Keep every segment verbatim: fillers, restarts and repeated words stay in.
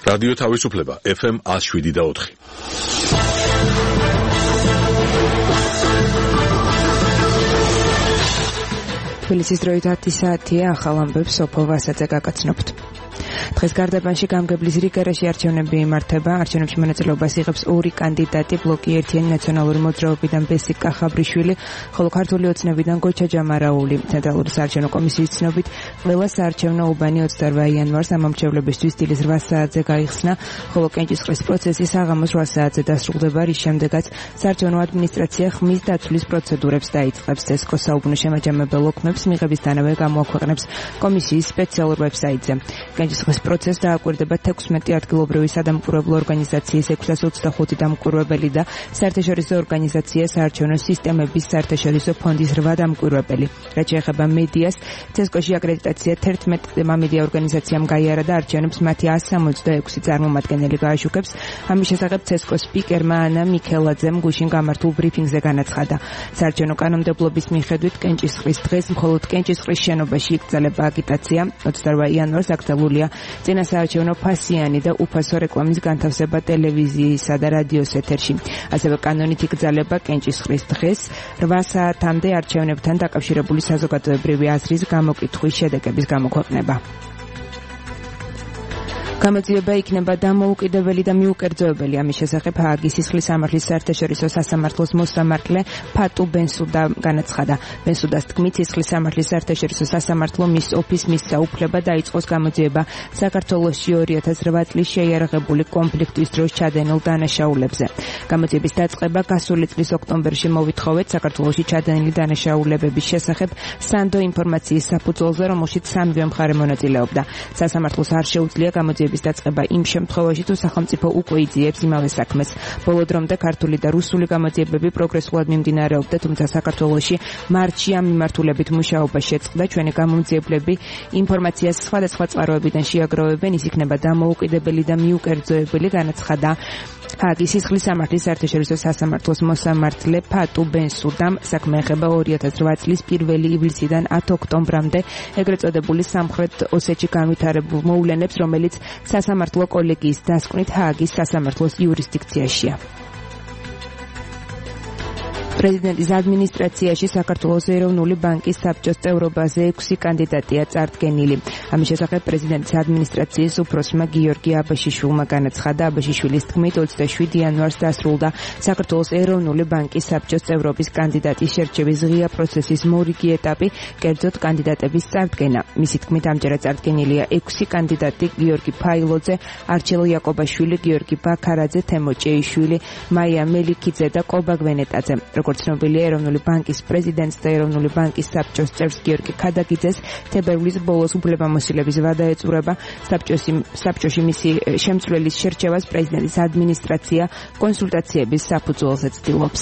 რადიო თავისუფლება ეფ ემ one oh seven და four. თბილისის დროით ათი საათია, ახალ ამბებს სოფო ვასაძე გაგაცნობთ. დღეს გარდაბანში გამგებლის რიგერაში არჩევნები იმართება. არჩევნებში მონაწილეობას იღებს ორი კანდიდატი, ბლოკი ერთიანი ნაციონალური მოძრაობიდან ბესიკ კახაბრიშვილი, ხოლო ქართული ოცნებიდან გოჩა ჯამარაული. ცენტრალური საარჩევნო კომისიის ცნობით, ყველა საარჩევნო უბანი ოცდაორ იანვარს ამომრჩევლებისთვის დილის რვა საათზე გაიხსნა, ხოლო კენჭისყრის პროცესი საღამოს რვა საათზე დასრულდება, რის შემდეგაც საარჩევნო ადმინისტრაცია ხმის დაცვლის პროცედურებს დაიწყებს. ცესკო საუბნო შემაჯამებელ ოქმებს მიღებისთანავე გამოაქვეყნებს კომისიის სპეციალურ ვებსაიტზე. კენჭისყრის პროცესს დააკვირდება თექვსმეტი ადგილობრივი სადამკვირვებლო ორგანიზაციის ექვსას ოცდახუთი დამკვირვებელი და საერთაშორისო ორგანიზაცია საარჩევნო სისტემების საერთაშორისო ფონდის რვა დამკვირვებელი. რაც შეეხება მედიას, ცესკოში აკრედიტაცია თერთმეტმა მედია ორგანიზაციამ გაიარა და არჩევნებს მათი one sixty-six წარმომადგენელი გააშუქებს. ამის შესახებ ცესკოს სპიკერმა ანა მიქელაძემ გუშინ გამართულ ბრიფინგზე განაცხადა. საარჩევნო კანონმდებლობის მიხედვით კენჭისყრის დღეს მხოლოდ კენჭისყრის შენობაში იკრძალება აგიტაცია. ოცდაორ იანვარს აკრძალულია წინასაარჩევნო ფასიანი და უფასო რეკლამის განთავსება ტელევიზიისა და რადიოს ეთერში. ასევე კანონით იკრძალება კენჭისყრის დღეს რვა საათამდე არჩევნებთან დაკავშირებული საზოგადოებრივი აზრის გამოკითხვის შედეგების გამოქვეყნება. გამოძიება იქნება დამოუკიდებელი და მიუკერძოებელი. ამის შესახებ ჰააგის სისხლის სამართლის საერთაშორისო სასამართლოს მოსამართლე ფატუ ბენსუდა განაცხადა. ბენსუდას თქმით, სისხლის სამართლის საერთაშორისო სასამართლო მის ოფისს მისცა უფლება დაიწყოს გამოძიება საქართველოში ორი ათას რვა წლის შეიარაღებული კონფლიქტის დროს ჩადენილ დანაშაულებზე. გამოძიების დაწყება გასული წლის ოქტომბერში მოვითხოვეთ საქართველოში ჩადენილი დანაშაულებების შესახებ სანდო ინფორმაციის საფუძველზე, რომელშიც სამივე მხარე მონაწილეობდა. სასამართლოს არ შეუძლია გამოძიების დაწყება იმ შემთხვევაში, თუ სახელმწიფო უკვე იძიებს იმავე საქმეს. ბოლო დრომდე ქართული და რუსული გამოძიებები პროგრესულად მიმდინარეობდა, თუმცა საქართველოში მარტში ამ მიმართულებით მუშაობა შეწყდა. ჩვენი გამომძიებლები ინფორმაციას სხვადასხვა წყაროებიდან შეაგროვებენ, ის იქნება დამოუკიდებელი და მიუკერძოებელი, განაცხადა ჰააგის სისხლის სამართლის საერთაშორისო სასამართლოს მოსამართლე ფატუ ბენსუდამ. საქმე ეხება ორი ათას რვა წლის პირველი ივლისიდან ათი ოქტომბრამდე ეგრეთ წოდებული სამხრეთ ოსეთში განვითარებულ მოვლენებს, რომელიც სასამართლო კოლეგიის დასკვნით ჰააგის სასამართლოს იურისდიქციაშია. პრეზიდენტის ადმინისტრაციაში საქართველოს ეროვნული ბანკის საბჭოს წევრობაზე ექვსი კანდიდატია წარდგენილი. ამის შესახებ პრეზიდენტის ადმინისტრაციის უფროსმა გიორგი აბაშიშვილმა განაცხადა. აბაშიშვილის თქმით, ოცდაშვიდი იანვარს დასრულდა საქართველოს ეროვნული ბანკის საბჭოს წევრობის კანდიდატის შერჩევის ღია პროცესის მორიგი ეტაპი, კერძოდ კანდიდატების წარდგენა. მისი თქმით, ამჯერად წარდგენილია ექვსი კანდიდატი: გიორგი ფაილოძე, არჩილ იაკობაშვილი, გიორგი ბაქარაძე, თემო ჭეიშვილი, მაია მელიქიძე და კობა გვენეტაძე. როგორც ცნობილია, ეროვნული ბანკის პრეზიდენტს და ეროვნული ბანკის საბჭოს წევრს გიორგი ქადაგიძეს თებერვლის ბოლოს უფლებამოსილების ვადა ეწურება. საბჭოში მისი შემცვლელის შერჩევას პრეზიდენტის ადმინისტრაცია კონსულტაციების საფუძველზე ცდილობს.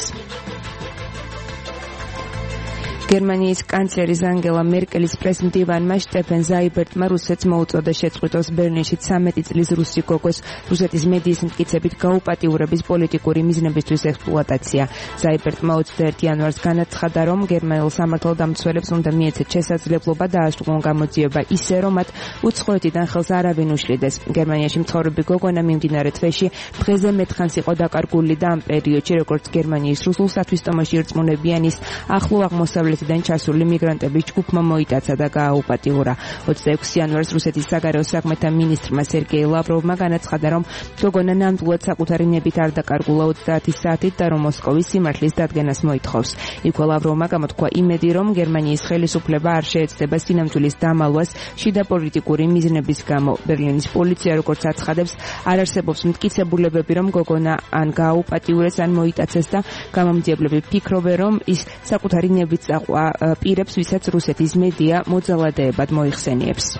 გერმანიის კანცლერის ანგელა მერკელის პრესმდივანმა შტეფენ ზაიბერტმა რუსეთს მოუწოდა შეწყვიტოს ბერლინში ცამეტი წლის რუსი გოგოს რუსეთის მედიის მტკიცებით გაუპატიურების პოლიტიკური მიზნებისთვის ექსპლუატაცია. ზაიბერტმა ოცდაერთი იანვარს განაცხადა, რომ გერმანელ სამართალდამცველებს უნდა მიეცეთ შესაძლებლობა დაასრულონ გამოძიება ისე, რომ მათ უცხოეთიდან ხელს არავინ უშლიდეს. გერმანიაში მცხოვრები გოგონა მიმდინარე თვეში დღეზე მეთხანს იყო დაკარგული და ამ პერიოდში, როგორც გერმანიის რუსულ სათვისტომოში ირწმუნებიან, ის ახლო აღმოსავლეთ დან ჩასული მიგრანტების ჯგუფმა მოიტაცა და გააუპატიურა. ოცდაექვსი იანვარს რუსეთის საგარეო საქმეთა მინისტრმა სერგეი ლავროვმა განაცხადა, რომ გოგონა ნამდვილად საკუთარი ნებით არ დაკარგულა ოცდაათი საათით და რომ მოსკოვის სიმართლის დადგენას მოითხოვს. იქვე ლავროვმა გამოთქვა იმედი, რომ გერმანიის ხელისუფლება არ შეეცდება სინამდვილის დამალვას შიდა პოლიტიკური მიზნების გამო. ბერლინის პოლიცია, როგორც აცხადებს, არ არსებობს მტკიცებულებები, რომ გოგონა ან გააუპატიურეს, ან მოიტაცეს და გამომძიებლები ფიქრობენ, რომ ის საკუთარი ნებით პირებს, ვისაც რუსეთის მედია მოძალადეებად მოიხსენიებს.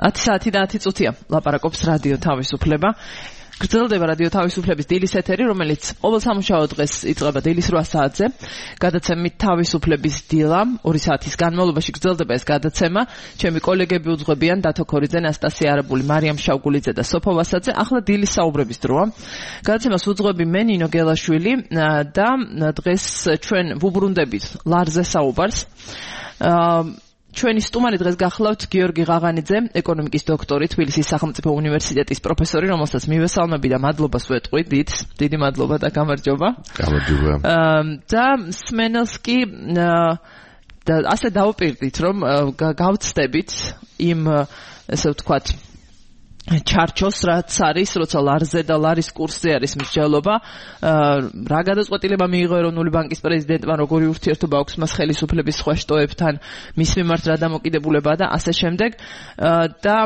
ათი საათი და ათი წუთია ლაპარაკობს რადიო თავისუფლება. გრძელდება რადიო თავისუფლების დილის ეთერი, რომელიც ყოველ სამუშაო დღეს იწყება დილის რვა საათზე. გადაცემით თავისუფლების დილა, ორი საათის განმავლობაში გრძელდება ეს გადაცემა. ჩემი კოლეგები უძღვებიან დათო ქორიძე, ნასტასია არაბული, მარიამ შავგულიძე და სოფო ვასაძე. ახლა დილის საუბრების დროა. გადაცემას უძღვები მე ნინო გელაშვილი და დღეს ჩვენ ვუბრუნდებით ლარზე საუბარს. ჩვენი სტუმარი დღეს გახლავთ გიორგი ღაღანიძე, ეკონომიკის დოქტორი, თბილისის სახელმწიფო უნივერსიტეტის პროფესორი, რომელსაც მივესალმები და მადლობას ვეტყვი, დიდ, დიდი მადლობა და გამარჯობა. გამარჯობა. და სმენელს კი და ასე დავუპირდით, რომ გავცდებით იმ ესე ვთქვათ ჩარჩოს რაც არის, როცა ლარზე და ლარის კურსზე არის მსჯელობა, რა გადაწყვეტილება მიიღო ეროვნული ბანკის პრეზიდენტმა, როგორი ურთიერთობა აქვს მას ხელისუფლების სხვა შტოებთან, მის მიმართ რა დამოკიდებულება და ასე შემდეგ და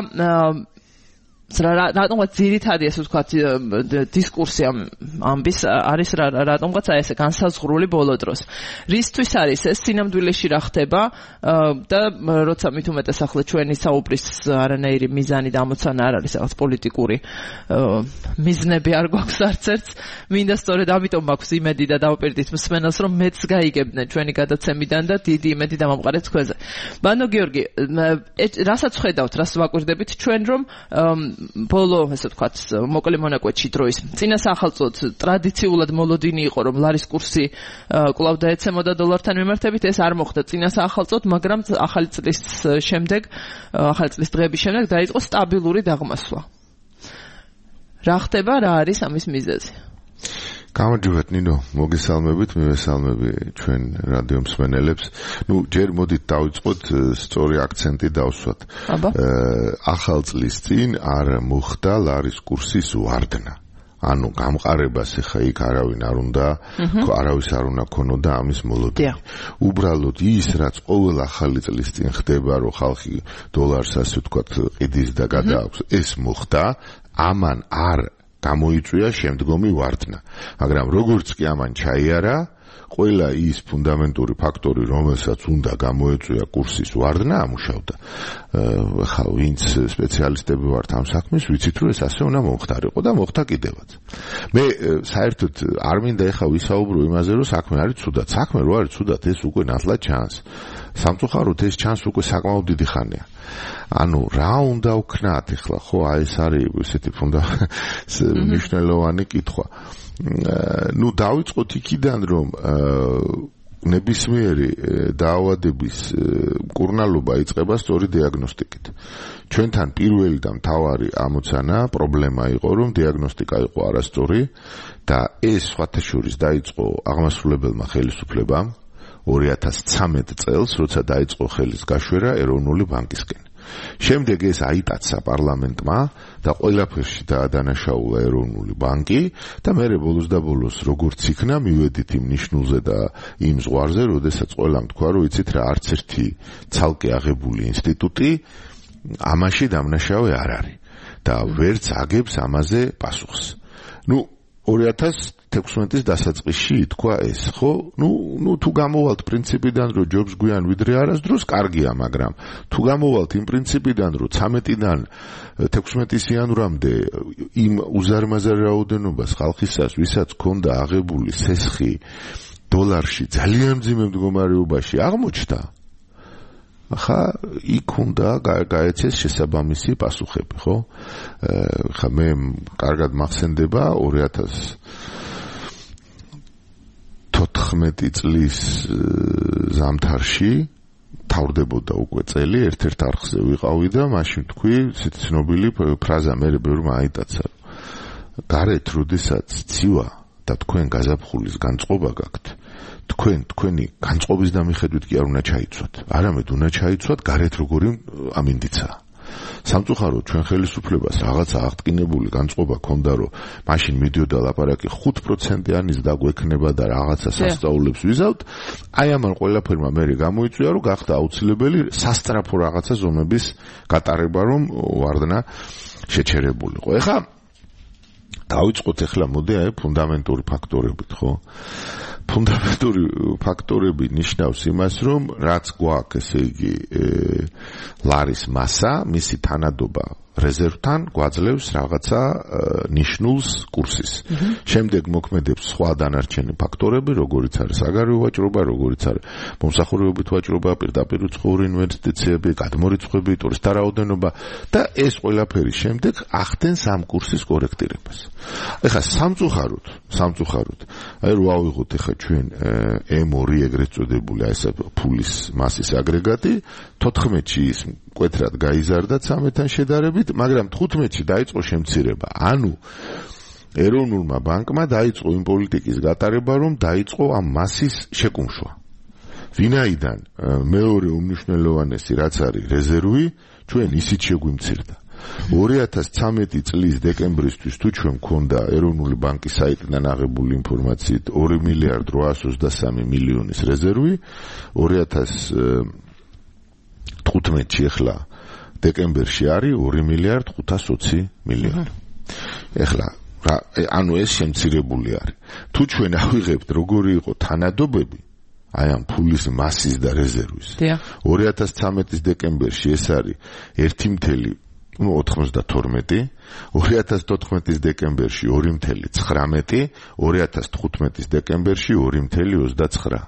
რატომღაც ძირითადი ასე ვთქვათ დისკურსი ამბის არის რატომღაც აი ესე განსაზღვრული ბოლო დროს. რისთვის არის ეს სინამდვილეში რა ხდება და როცა მით უმეტეს ახლა ჩვენი საუბრის არანაირი მიზანი და ამოცანა არ არის რაღაც პოლიტიკური მიზნები არ გვაქვს არც ერთს, მინდა სწორედ ამიტომ მაქვს იმედი და დავუპირდით მსმენელს, რომ მეც გაიგებდნენ ჩვენი გადაცემიდან და დიდი იმედი დამამყარეთ თქვენზე. ბანო გიორგი, რასაც ხედავთ, რას ვაკვირდებით ჩვენ, რომ ბოლო, ესე ვთქვათ, მოკლე მონაკვეთში დროის წინა სახელმწიფოდ ტრადიციულად მოლოდინი იყო, რომ ლარის კურსი კვლავ დაეცემოდა დოლართან მიმართებით, ეს არ მოხდა წინა სახელმწიფოდ, მაგრამ ახალი წლის შემდეგ, ახალი წლის დღეების შემდეგ დაიწყო სტაბილური დაღმასვლა. რა ხდება, რა არის ამის მიზეზი? გამარჯობათ ნინო, მოგესალმებით, მივესალმები ჩვენ რადიო მსმენელებს. ნუ ჯერ მოდით დავიწყოთ სწორი აქცენტი დავსვათ. ახალ წლის წინ არ მოხდა ლარის კურსის ვარდნა. ანუ გამყარებას ეხა იქ არავინ არ უნდა, არავის არ უნდა ქონოდა ამის მოლოდინი. უბრალოდ ის, რაც ყოველ ახალი წლის წინ ხდება, რომ ხალხი დოლარს ასე ვთქვათ ყიდის და გადააქვს, ეს მოხდა, ამან არ გამოიწვია შემდგომი ვარდნა. მაგრამ როგორც კი ამან ჩაიარა, ყველა ის ფუნდამენტური ფაქტორი, რომელსაც უნდა გამოეწვია კურსის ვარდნა, ამუშავდა. ხა ვინც სპეციალისტები ვართ ამ საქმის, ვიცით რომ ეს ასე უნდა მომხდარიყო და მოხდა კიდევაც. მე საერთოდ არ მინდა ეხა ვისაუბრო იმაზე, რომ საქმე არის ცუდად. საქმე რო არის ცუდად, ეს უკვე ნათლად ჩანს. სამწუხაროდ ეს ჩანს უკვე საკმაოდ დიდი ხანია. ანუ რა უნდა ვქნათ ახლა, ხო, აი ეს არის ესეთი მნიშვნელოვანი კითხვა. ნუ დავიწყოთ იქიდან, რომ ნებისმიერი დაავადების მკურნალობა იწყება სწორი დიაგნოსტიკით. ჩვენთან პირველი და მთავარი ამოცანა, პრობლემა იყო, რომ დიაგნოსტიკა იყო არასწორი და ეს სხვათა შორის დაიწყო აღმასრულებელმა ხელისუფლებამ ორი ათას ცხრამეტ წელს, როცა დაიწყო ხელის გაშვერა ეროვნული ბანკისკენ. შემდეგ ეს აიტაცა პარლამენტმა და ყველაფერში დაადანაშაულა ეროვნული ბანკი და მერე ბოლოს და ბოლოს როგორც იქნა მივედით იმ ნიშნულზე და იმ ზღვარზე, როდესაც ყველამ თქვა, რომ იცით რა, არც ერთი ცალკე აღებული ინსტიტუტი ამაში დამნაშავე არ არის და ვერც აგებს ამაზე პასუხს. ნუ ორი ათას თექვსმეტის დასაწყისში ითქვა ეს, ხო? ნუ, ნუ თუ გამოვალთ პრინციპიდან, რომ ჯობს გვიან ვიდრე არასდროს, კარგია, მაგრამ თუ გამოვალთ იმ პრინციპიდან, რომ ცამეტიდან თექვსმეტის იანვრამდე იმ უზარმაზარ რაოდენობას ხალხისას, ვისაც ჰქონდა აღებული სესხი დოლარში ძალიან მძიმე მდგომარეობაში აღმოჩნდა, ხა იქ უნდა გაეცეს შესაბამისი პასუხები, ხო? ხა მე კარგად მახსენდება ორი ათას თოთხმეტი წლის ზამთარში თავდებოდა უკვე წელი, ერთ-ერთ არხზე ვიყავი და მაშინ თქვი, ცნობილი ფრაზა მე ბევრმა აიტაცა. გარეთ როდესაც ცივა და თქვენ გაზაფხულის განწყობა გაქვთ, თქვენ თქვენი განწყობის დამიხედვით კი არ უნდა ჩაიცვათ. არამედ უნდა ჩაიცვათ გარეთ როგორი ამინდიცაა. სამწუხაროდ ჩვენ ხელისუფლებას რაღაცა აღტკინებული განწყობა ქონდა, რომ მაშინ მიდიოდა ლაპარაკი ხუთ პროცენტიანის დაგვექნება და რაღაცა სასწაულებს ვიზავთ. აი ამან ყველაფერმა მერე გამოიწვია, რომ გახდა აუცილებელი სასტრაფო რაღაცა ზომების გატარება, რომ ვარდნა შეჩერებულიყო. ეხლა დავიწყოთ ახლა მოდი აი ფუნდამენტური ფაქტორებით, ხო? ფუნდამენტური ფაქტორები ნიშნავს იმას, რომ რაც გვაქვს, ესე იგი, ლარის მასა, მისი თანადობა რეზერვთან გვაძლევს რაღაცა ნიშნულს კურსის. შემდეგ მოქმედებს სხვა დანარჩენი ფაქტორები, როგორიც არის საგარეო ვაჭრობა, როგორიც არის მომსახურებებით ვაჭრობა, პირდაპირ უცხოური ინვესტიციები, გადმორიცხვები, ტურისტთა რაოდენობა და ეს ყველაფერი შემდეგ ახდენს ამ კურსის კორექტირებას. ეხლა სამწუხაროდ, სამწუხაროდ, აი რო ავიღოთ ეხლა ჩვენ ემ ორი ეგრეთ წოდებული აი ეს ფულის მასის აგრეგატი, თოთხმეტში ის მკვეთრად გაიზარდა ცამეტთან შედარებით, მაგრამ თხუთმეტში დაიწყო შემცირება. ანუ ეროვნულმა ბანკმა დაიწყო იმ პოლიტიკის გატარება, რომ დაიწყო ამ მასის შეკუმშვა. ვინაიდან მეორე უმნიშვნელოვანესი რაც არის რეზერვი, ჩვენ ისიც შეგვიმცირდა. ორი ათას ცამეტი წლის დეკემბრისთვის თუ ჩვენ მქონდა ეროვნული ბანკის საიტიდან აღებული ინფორმაციით ორი მილიარდ რვაას ოცდასამი მილიონის რეზერვი, ორი ათას თხუთმეტში ახლა დეკემბერში არის ორი მილიარდ ხუთას ოცი მილიონი. ახლა ანუ ეს შემცირებული არის. თუ ჩვენ ავიღებთ როგორი იყო თანადობები აი ამ ფულის მასის და რეზერვის. ორი ათას ცამეტის დეკემბერში ეს არის ერთი მთელი ოთხმოცდათორმეტი, ორი ათას თოთხმეტის დეკემბერში ორი მთელი ცხრამეტი, ორი ათას თხუთმეტის დეკემბერში ორი მთელი ოცდაცხრა.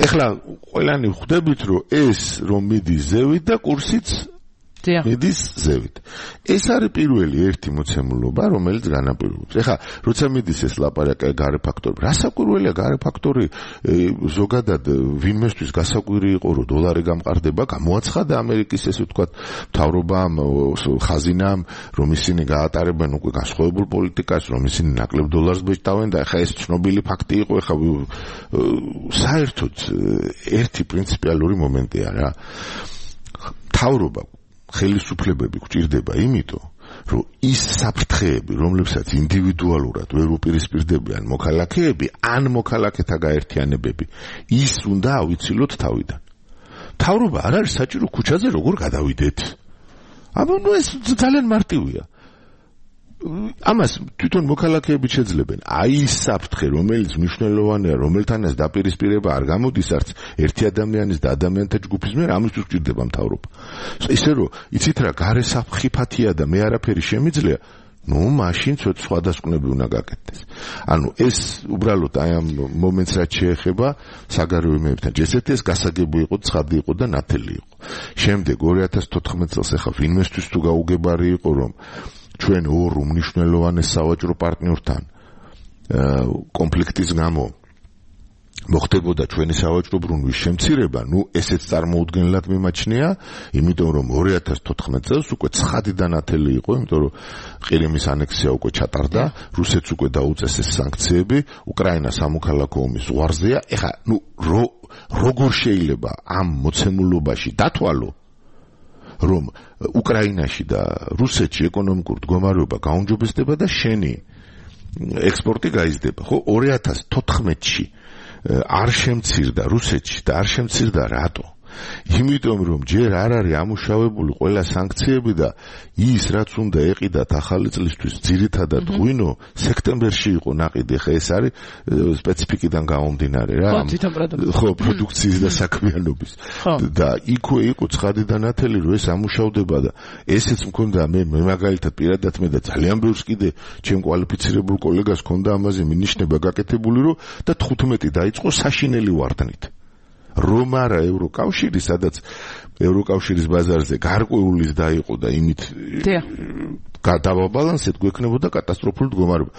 ეხლა ყველანი ხვდებით, რომ ეს რომ მიდის ზევით და კურსიც მიდის ზევით. ეს არის პირველი ერთი მოცემულობა, რომელიც განაპირობებს. ეხლა როცა მიდის ეს ლაპარაკი გარე ფაქტორი, რა საკვირველია გარე ფაქტორი, ზოგადად ვინმესთვის გასაკვირი იყო, რომ დოლარი გამყარდება, გამოაცხადა ამერიკის ესე ვთქვათ მთავრობამ, ხაზინამ, რომ ისინი გაატარებენ უკვე განსხვავებულ პოლიტიკას, რომ ისინი ნაკლებ დოლარს ბეჭდავენ და ეხლა ეს ცნობილი ფაქტი იყო, ეხლა საერთოდ ერთი პრინციპიალური მომენტია რა. მთავრობა ხელისუფლებები გვჭირდება იმიტომ, რომ ის საფრთხეები, რომლებსაც ინდივიდუალურად ვერ უპირისპირდებიან მოქალაქეები, ან მოქალაქეთა გაერთიანებები, ის უნდა ავიცილოთ თავიდან. მთავრობა არ არის საჭირო ქუჩაზე როგორ გადავიდეთ. აბა ნუ ეს ძალიან მარტივია. ამას თვითონ მოქალაქეები შეძლებენ. აი ის საფრთხე, რომელიც მნიშვნელოვანია, რომელთანაც დაპირისპირება არ გამოდის არც ერთი ადამიანის და ადამიანთა ჯგუფის მიერ, ამისთვის გვჭირდება მთავრობა. ისე რომ იცით რა, გარე საფრთხიფათია და მე არაფერი შემიძლია, ნუ მაშინ ცოტა სხვადასკვნები უნდა გაკეთდეს. ანუ ეს უბრალოდ აი ამ მომენტს რაც შეეხება საგარეო იმებთან. ჯესეთი ეს გასაგები იყო, ცხადი იყო და ნათელი იყო. შემდეგ ორი ათას თოთხმეტ წელს ახლა ვინმესთვის თუ გაუგებარი იყო, რომ ჩვენ ორ უმნიშვნელოვანეს სავაჭრო პარტნიორთან კონფლიქტის გამო მოხდებოდა ჩვენი სავაჭრო ბრუნვის შემცირება, ნუ ესეც წარმოუდგენლად მიმაჩნია, იმიტომ რომ ორი ათას თოთხმეტ წელს უკვე ცხადი და ნათელი იყო, იმიტომ რომ ყირიმის ანექსია უკვე ჩატარდა, რუსეთს უკვე დაუწეს ეს სანქციები, უკრაინა სამოქალაქო ომის ზღვარზეა. ეხლა ნუ როგორ შეიძლება ამ მოცემულობაში დათვალო, რომ უკრაინაში და რუსეთში ეკონომიკური მდგომარეობა გაუმჯობესდება და შენი ექსპორტი გაიზრდება. ხო, ორი ათას თოთხმეტში არ შემცირდა რუსეთში და არ შემცირდა რატო? იმიტომ რომ ჯერ არ არის ამუშავებული ყველა სანქციები და ის რაც უნდა ეყიდათ ახალი წლისთვის ძირითადად ღვინო სექტემბერში იყო ნაყიდი. ხა ეს არის სპეციფიკიდან გამომდინარე რა. ხო, პროდუქციის და საქმიანობის. და იქვე იყო ცხადი და ნათელი, რომ ეს ამუშავდება და ესეც მქონდა მე მე მაგალითად პირადად მე და ძალიან ბევრს კიდე ჩემ კვალიფიცირებულ კოლეგას ჰქონდა ამაზე მინიშნება გაკეთებული, რომ და თხუთმეტი დაიწყო საშინელი ვარდნით. რომ არა ევროკავშირი, სადაც ევროკავშირის ბაზარზე გარკვეული დაიყო და იმით გადავაბალანსეთ, გვექნებოდა კატასტროფული მდგომარეობა.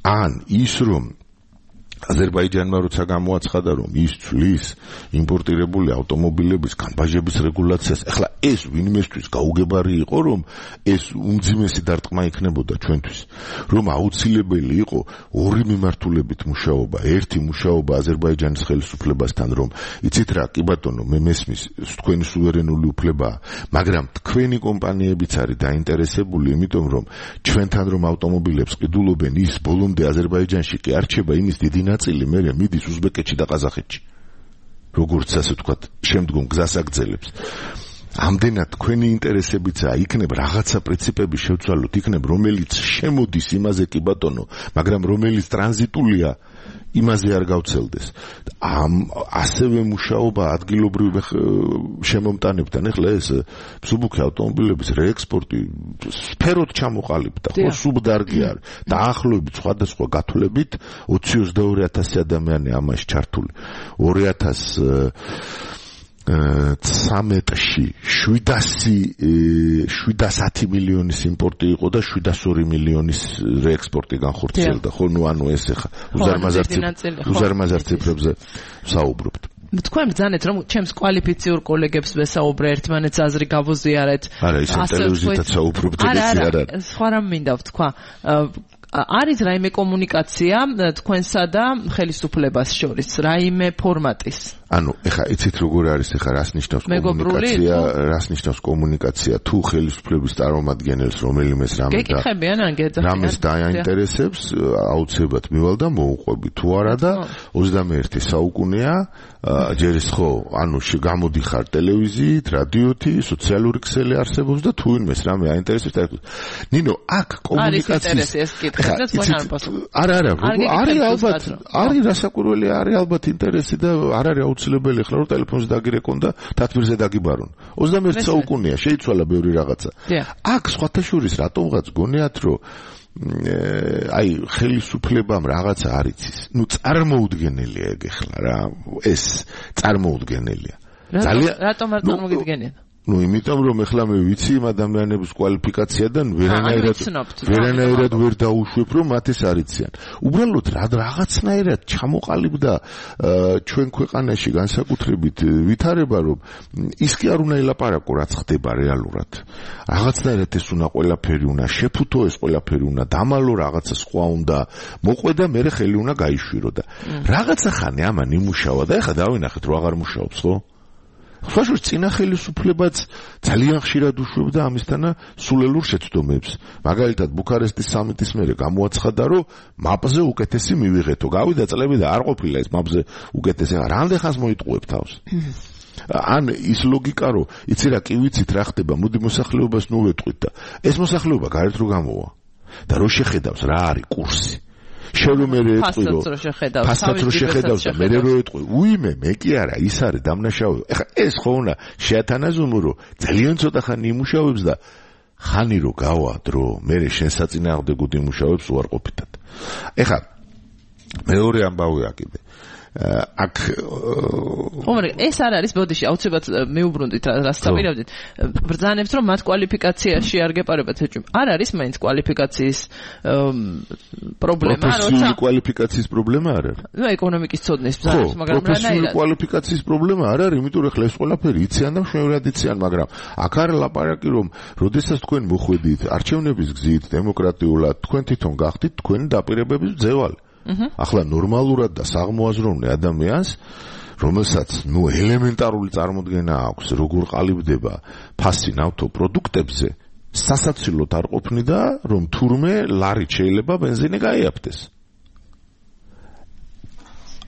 ან ის რომ აზერბაიჯანმა როცა გამოაცხადა, რომ ის ცვლის იმპორტირებული ავტომობილების განბაჟების რეგულაციას, ახლა ეს ვინმესთვის გაუგებარი იყო, რომ ეს უმძიმესი დარტყმა იქნებოდა ჩვენთვის, რომ აუცილებელი იყო ორი მიმართულებით მუშაობა, ერთი მუშაობა აზერბაიჯანის ხელისუფლებასთან, რომ იცით რა, კი ბატონო, მე მესმის, თქვენი სუვერენული უფლებაა, მაგრამ თქვენი კომპანიებიც არის დაინტერესებული, იმიტომ რომ ჩვენთან რომ ავტომობილებს ყიდულობენ, ის ბოლომდე აზერბაიჯანში კი არ რჩება, იმის დიდი ნაწილი მერე მიდის უზბეკეთში და ყაზახეთში. როგორც ასე ვთქვათ, შემდგომ გზას აგრძელებს. ამდენად თქვენი ინტერესებიცაა, იქნებ რაღაცა პრინციპები შევცვალოთ, იქნებ რომელიც შემოდის იმაზე კი ბატონო, მაგრამ რომელიც ტრანზიტულია იმაზე არ გავცელდეს. ამ ასევე მუშაობა ადგილობრივ შემომტანებთან, ეხლა ეს მსუბუქი ავტომობილების რეექსპორტი სფეროდ ჩამოყალიბდა, ხო, სუბდარგი არის. დაახლოებით სხვადასხვა გათვლებით ოცი ოცდაორი ათასი ადამიანი ამაში ჩართული. ორი ათას ცამეტში შვიდასათი მილიონის იმპორტი იყო და შვიდასორი მილიონის რეექსპორტი განხორციელდა. ხო, ნუ ანუ ეს ახლა უზარმაზარ ციფრებზე ვსაუბრობთ. თქვენ ბრძანეთ რომ ჩემს კვალიფიციურ კოლეგებს ვესაუბრე ერთმანეთს აზრი გავუზიარეთ. არა, ისე ტელევიზიითაც საუბრობთ, ეს არ არის. სხვა რამ მინდა ვთქვა. არის რაიმე კომუნიკაცია თქვენსა და ხელისუფლებას შორის, რაიმე ფორმატის? ანუ ეხა იცით როგორ არის, ეხა რას ნიშნავს კომუნიკაცია, რას ნიშნავს კომუნიკაცია თუ ხელისუფლების წარმომადგენელს რომელიმეს რამე და გეკითხებიან ან გეძახიან რამეს დააინტერესებს, აუცილებლად მივალ და მოუყვები თუ არა და ოცდამეერთე საუკუნეა, ჯერ ის ხო, ანუ გამოდიხარ ტელევიზიით, რადიოთი, სოციალური ქსელი არსებობს და თუ ვინმეს რამე აინტერესებს და ნინო, აქ კომუნიკაციის არა, არა, არის ალბათ, არის რასაკვირველი, არის ალბათ ინტერესი და არ არის აუცილებელი ახლა რომ ტელეფონზე დაგირეკონ და თათბირზე დაგიბარონ. ოცდამეერთე საუკუნეა, შეიცვალა ბევრი რაღაცა. აქ სხვათა შორის რატომღაც გონიათ რომ აი ხელისუფლებამ რაღაცა არ იცის. ნუ წარმოუდგენელია ეგ ახლა რა, ეს წარმოუდგენელია. ძალიან რატომ არ წარმოგიდგენია? ну, იმიტომ რომ ეხლა მე ვიცი იმ ადამიანების კვალიფიკაციიდან ვერანაირად ვერანაირად ვერ დაუშვებ რომ მათ ეს არიციან. უბრალოდ რა რაღაცნაირად ჩამოყალიბდა ჩვენ ქვეყანაში განსაკუთრებით ვითარება რომ ის კი არ უნდა ელაპარაკო რაც ხდება რეალურად. რაღაცნაირად ეს უნდა ყველაფერი უნდა შეფუთო, ეს ყველაფერი უნდა დამალო, რაღაცა სხვა უნდა მოყვე და მე ხელი უნდა გაიშვირო და რაღაცა ხანი ამან იმუშავა და ეხლა დავინახეთ რომ აღარ მუშაობს, ხო? ხოშოს წინა ხელისუფლებაც ძალიან ხშირად უშვებდა ამისთანა სულელურ შეცდომებს. მაგალითად ბუქარესტის სამიტის მერე გამოაცხადა, რომ მაპზე უკეთესი მივიღეთო. გავიდა წლები და არ ყოფილა ეს მაპზე უკეთესი. რამდენ ხანს მოიტყუებ თავს? ან ის ლოგიკა რომ იცი რა კი ვიცით რა ხდება, მოდი მოსახლეობას ნუ ვეტყვით და ეს მოსახლეობა გარეთ რო გამოვა. და რო შეხედავს რა არის კურსი. შევიმერე ეტყვიო ფასად რო შეხედავს და მე რო ეტყვი უიმე მე კი არა ის არის დამნაშავე. ეხლა ეს ხო უნდა შეათანაზომო რომ ძალიან ცოტა ხანი იმუშავებს და ხანი რო გავა დრო მე შენ საწინააღმდეგოდ იმუშავებს უარყოფითად. ეხლა მეორე ამბავია კიდე აქ ხომრე ეს არ არის ბოდიში აუცილებლად მეუბრუნდით რას დაპირებდით ბრძანებთ რომ მათ კვალიფიკაციაში არ გეპარებათ ეჭვი არ არის მაინც კვალიფიკაციის პრობლემა როცა პროფესიული კვალიფიკაციის პრობლემა არ არის ნუ ეკონომიკის ცოდნის ბრძანებთ მაგრამ რა პროფესიული კვალიფიკაციის პრობლემა არ არის იმიტომ რომ ხლა ეს ყველაფერი იციან და მშვენივრად იციან მაგრამ აქ არ ლაპარაკი რომ როდესაც თქვენ მოხვედით არჩევნების გზით დემოკრატიულად თქვენ თვითონ გახდით თქვენი დაპირებების მძევალი. ახლა ნორმალურად და საღმოაზროვნე ადამიანს რომელსაც ნუ ელემენტარული წარმოდგენა აქვს როგორ ყალიბდება ფასი ნავთო პროდუქტებზე სასაცილოდ არ ყოფნიდა რომ თურმე ლარით შეიძლება ბენზინი გაიაფთეს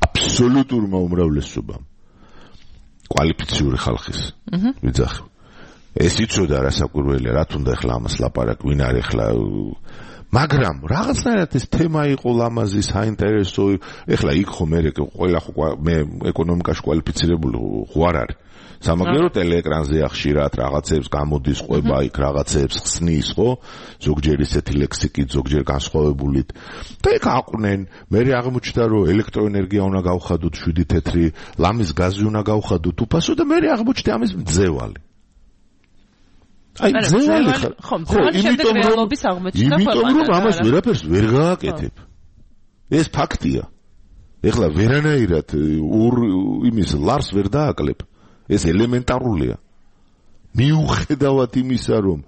აბსოლუტურმა უმრავლესობამ კვალიფიციური ხალხის ვიძახი ეს იცოდა რა საკვირველია რა თუნდა ახლა ამას ლაპარაკ ვინ არის ახლა მაგრამ რაღაცნაირად ეს თემა იყო ლამაზი საინტერესო ეხლა იქ ხო მე ყველა ხო მე ეკონომიკაში კვალიფიცირებული ხო არ არის სამაგერო ტელეეკრანზე ხშირად რაღაცებს გამოდის ყვება იქ რაღაცებს ხსნის ხო ზოგჯერ ისეთი ლექსიკით ზოგჯერ განსხვავებულით და იქ აყვნენ მე აღმოჩნდა რომ ელექტროენერგია უნდა გავხადოთ შვიდი თეთრი ლამის გაზი უნდა გავხადოთ უფასო და მე აღმოჩნდა ამის მძევალი აი ზევალი ხო იმიტომ რომ იმიტომ რომ ამას ვერაფერს ვერ გააკეთებ ეს ფაქტია ეხლა ვერანაირად ორ იმის ლარს ვერ დააკლებ ეს ელემენტარულია მიუხედავად იმისა რომ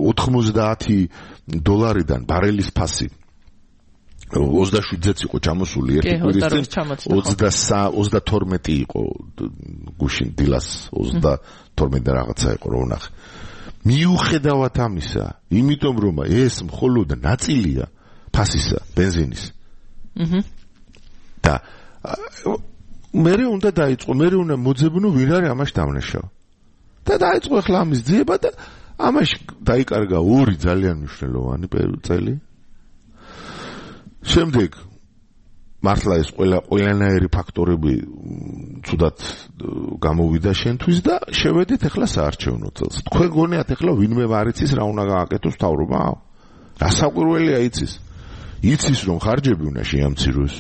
ოთხმოცდაათი დოლარიდან ბარელის ფასი ოცდაშვიდზეც იყო ჩამოსული ერთი კვირის წინ ოცდათორმეტი იყო გუშინ დილას ოცდათორმეტი და რაღაცა იყო რო ნახე მიუხედავად ამისა, იმიტომ რომ ეს მხოლოდ ნაწილია ფასისა, ბენზინის. აჰა. და მე უნდა დაიწყო, მე უნდა მოძებნო ვინ არის ამაში დამნაშავე. და დაიწყო ახლა ამის ძიება და ამაში დაიკარგა ორი ძალიან მნიშვნელოვანი წელი. შემდეგ მართლა ეს ყველა ყველანაირი ფაქტორები ცუდად გამოვიდა შენთვის და შევედით ახლა საარჩევნო წელს. თქვენ გონიათ ახლა ვინმე არ იცის რა უნდა გააკეთოს მთავრობა? რა საკვირველია იცის? იცის რომ ხარჯები უნდა შეამციროს.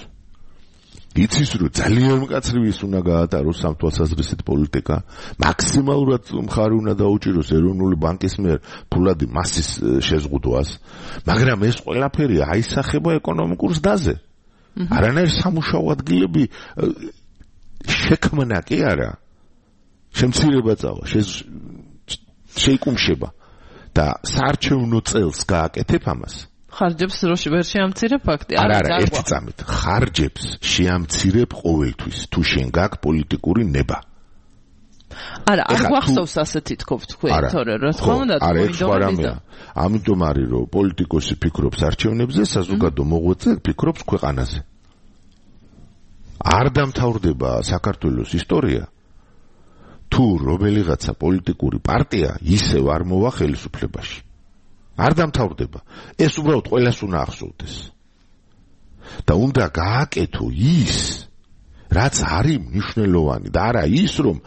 იცის რომ ძალიან მკაცრი ის უნდა გაატაროს სამთვალსაზრისით პოლიტიკა. მაქსიმალურად მხარი უნდა დაუჭიროს ეროვნული ბანკის მიერ ფულადი მასის შეზღუდვას. მაგრამ ეს ყველაფერი აისახება ეკონომიკურ ზრდაზე. არანაირი სამუშაო ადგილები შექმნა კი არა. შემცირება წავა, შეიკუმშება და საარჩევნო წელს გააკეთებ ამას. ხარჯებს ვერ შეამცირებ ფაქტი? არა, არა, ერთი წამით. ხარჯებს შეამცირებ ყოველთვის, თუ შენ გაქვს პოლიტიკური ნება. არა, არ გვახსოვს ასეთი თქო თქვენ, თორე რა თქმა უნდა, მოინდომებია. ამიტომ არის რომ პოლიტიკოსი ფიქრობს არჩევნებზე, საზოგადო მოღვაწე ფიქრობს ქვეყანაზე. არ დამთავრდება საქართველოს ისტორია თუ რომელიღაცა პოლიტიკური პარტია ისევ არ მოვა ხელისუფლებაში. არ დამთავრდება. ეს უბრალოდ ყველას უნდა ახსოვდეს. და უნდა გააკეთო ის, რაც არის მნიშვნელოვანი და არა ის, რომ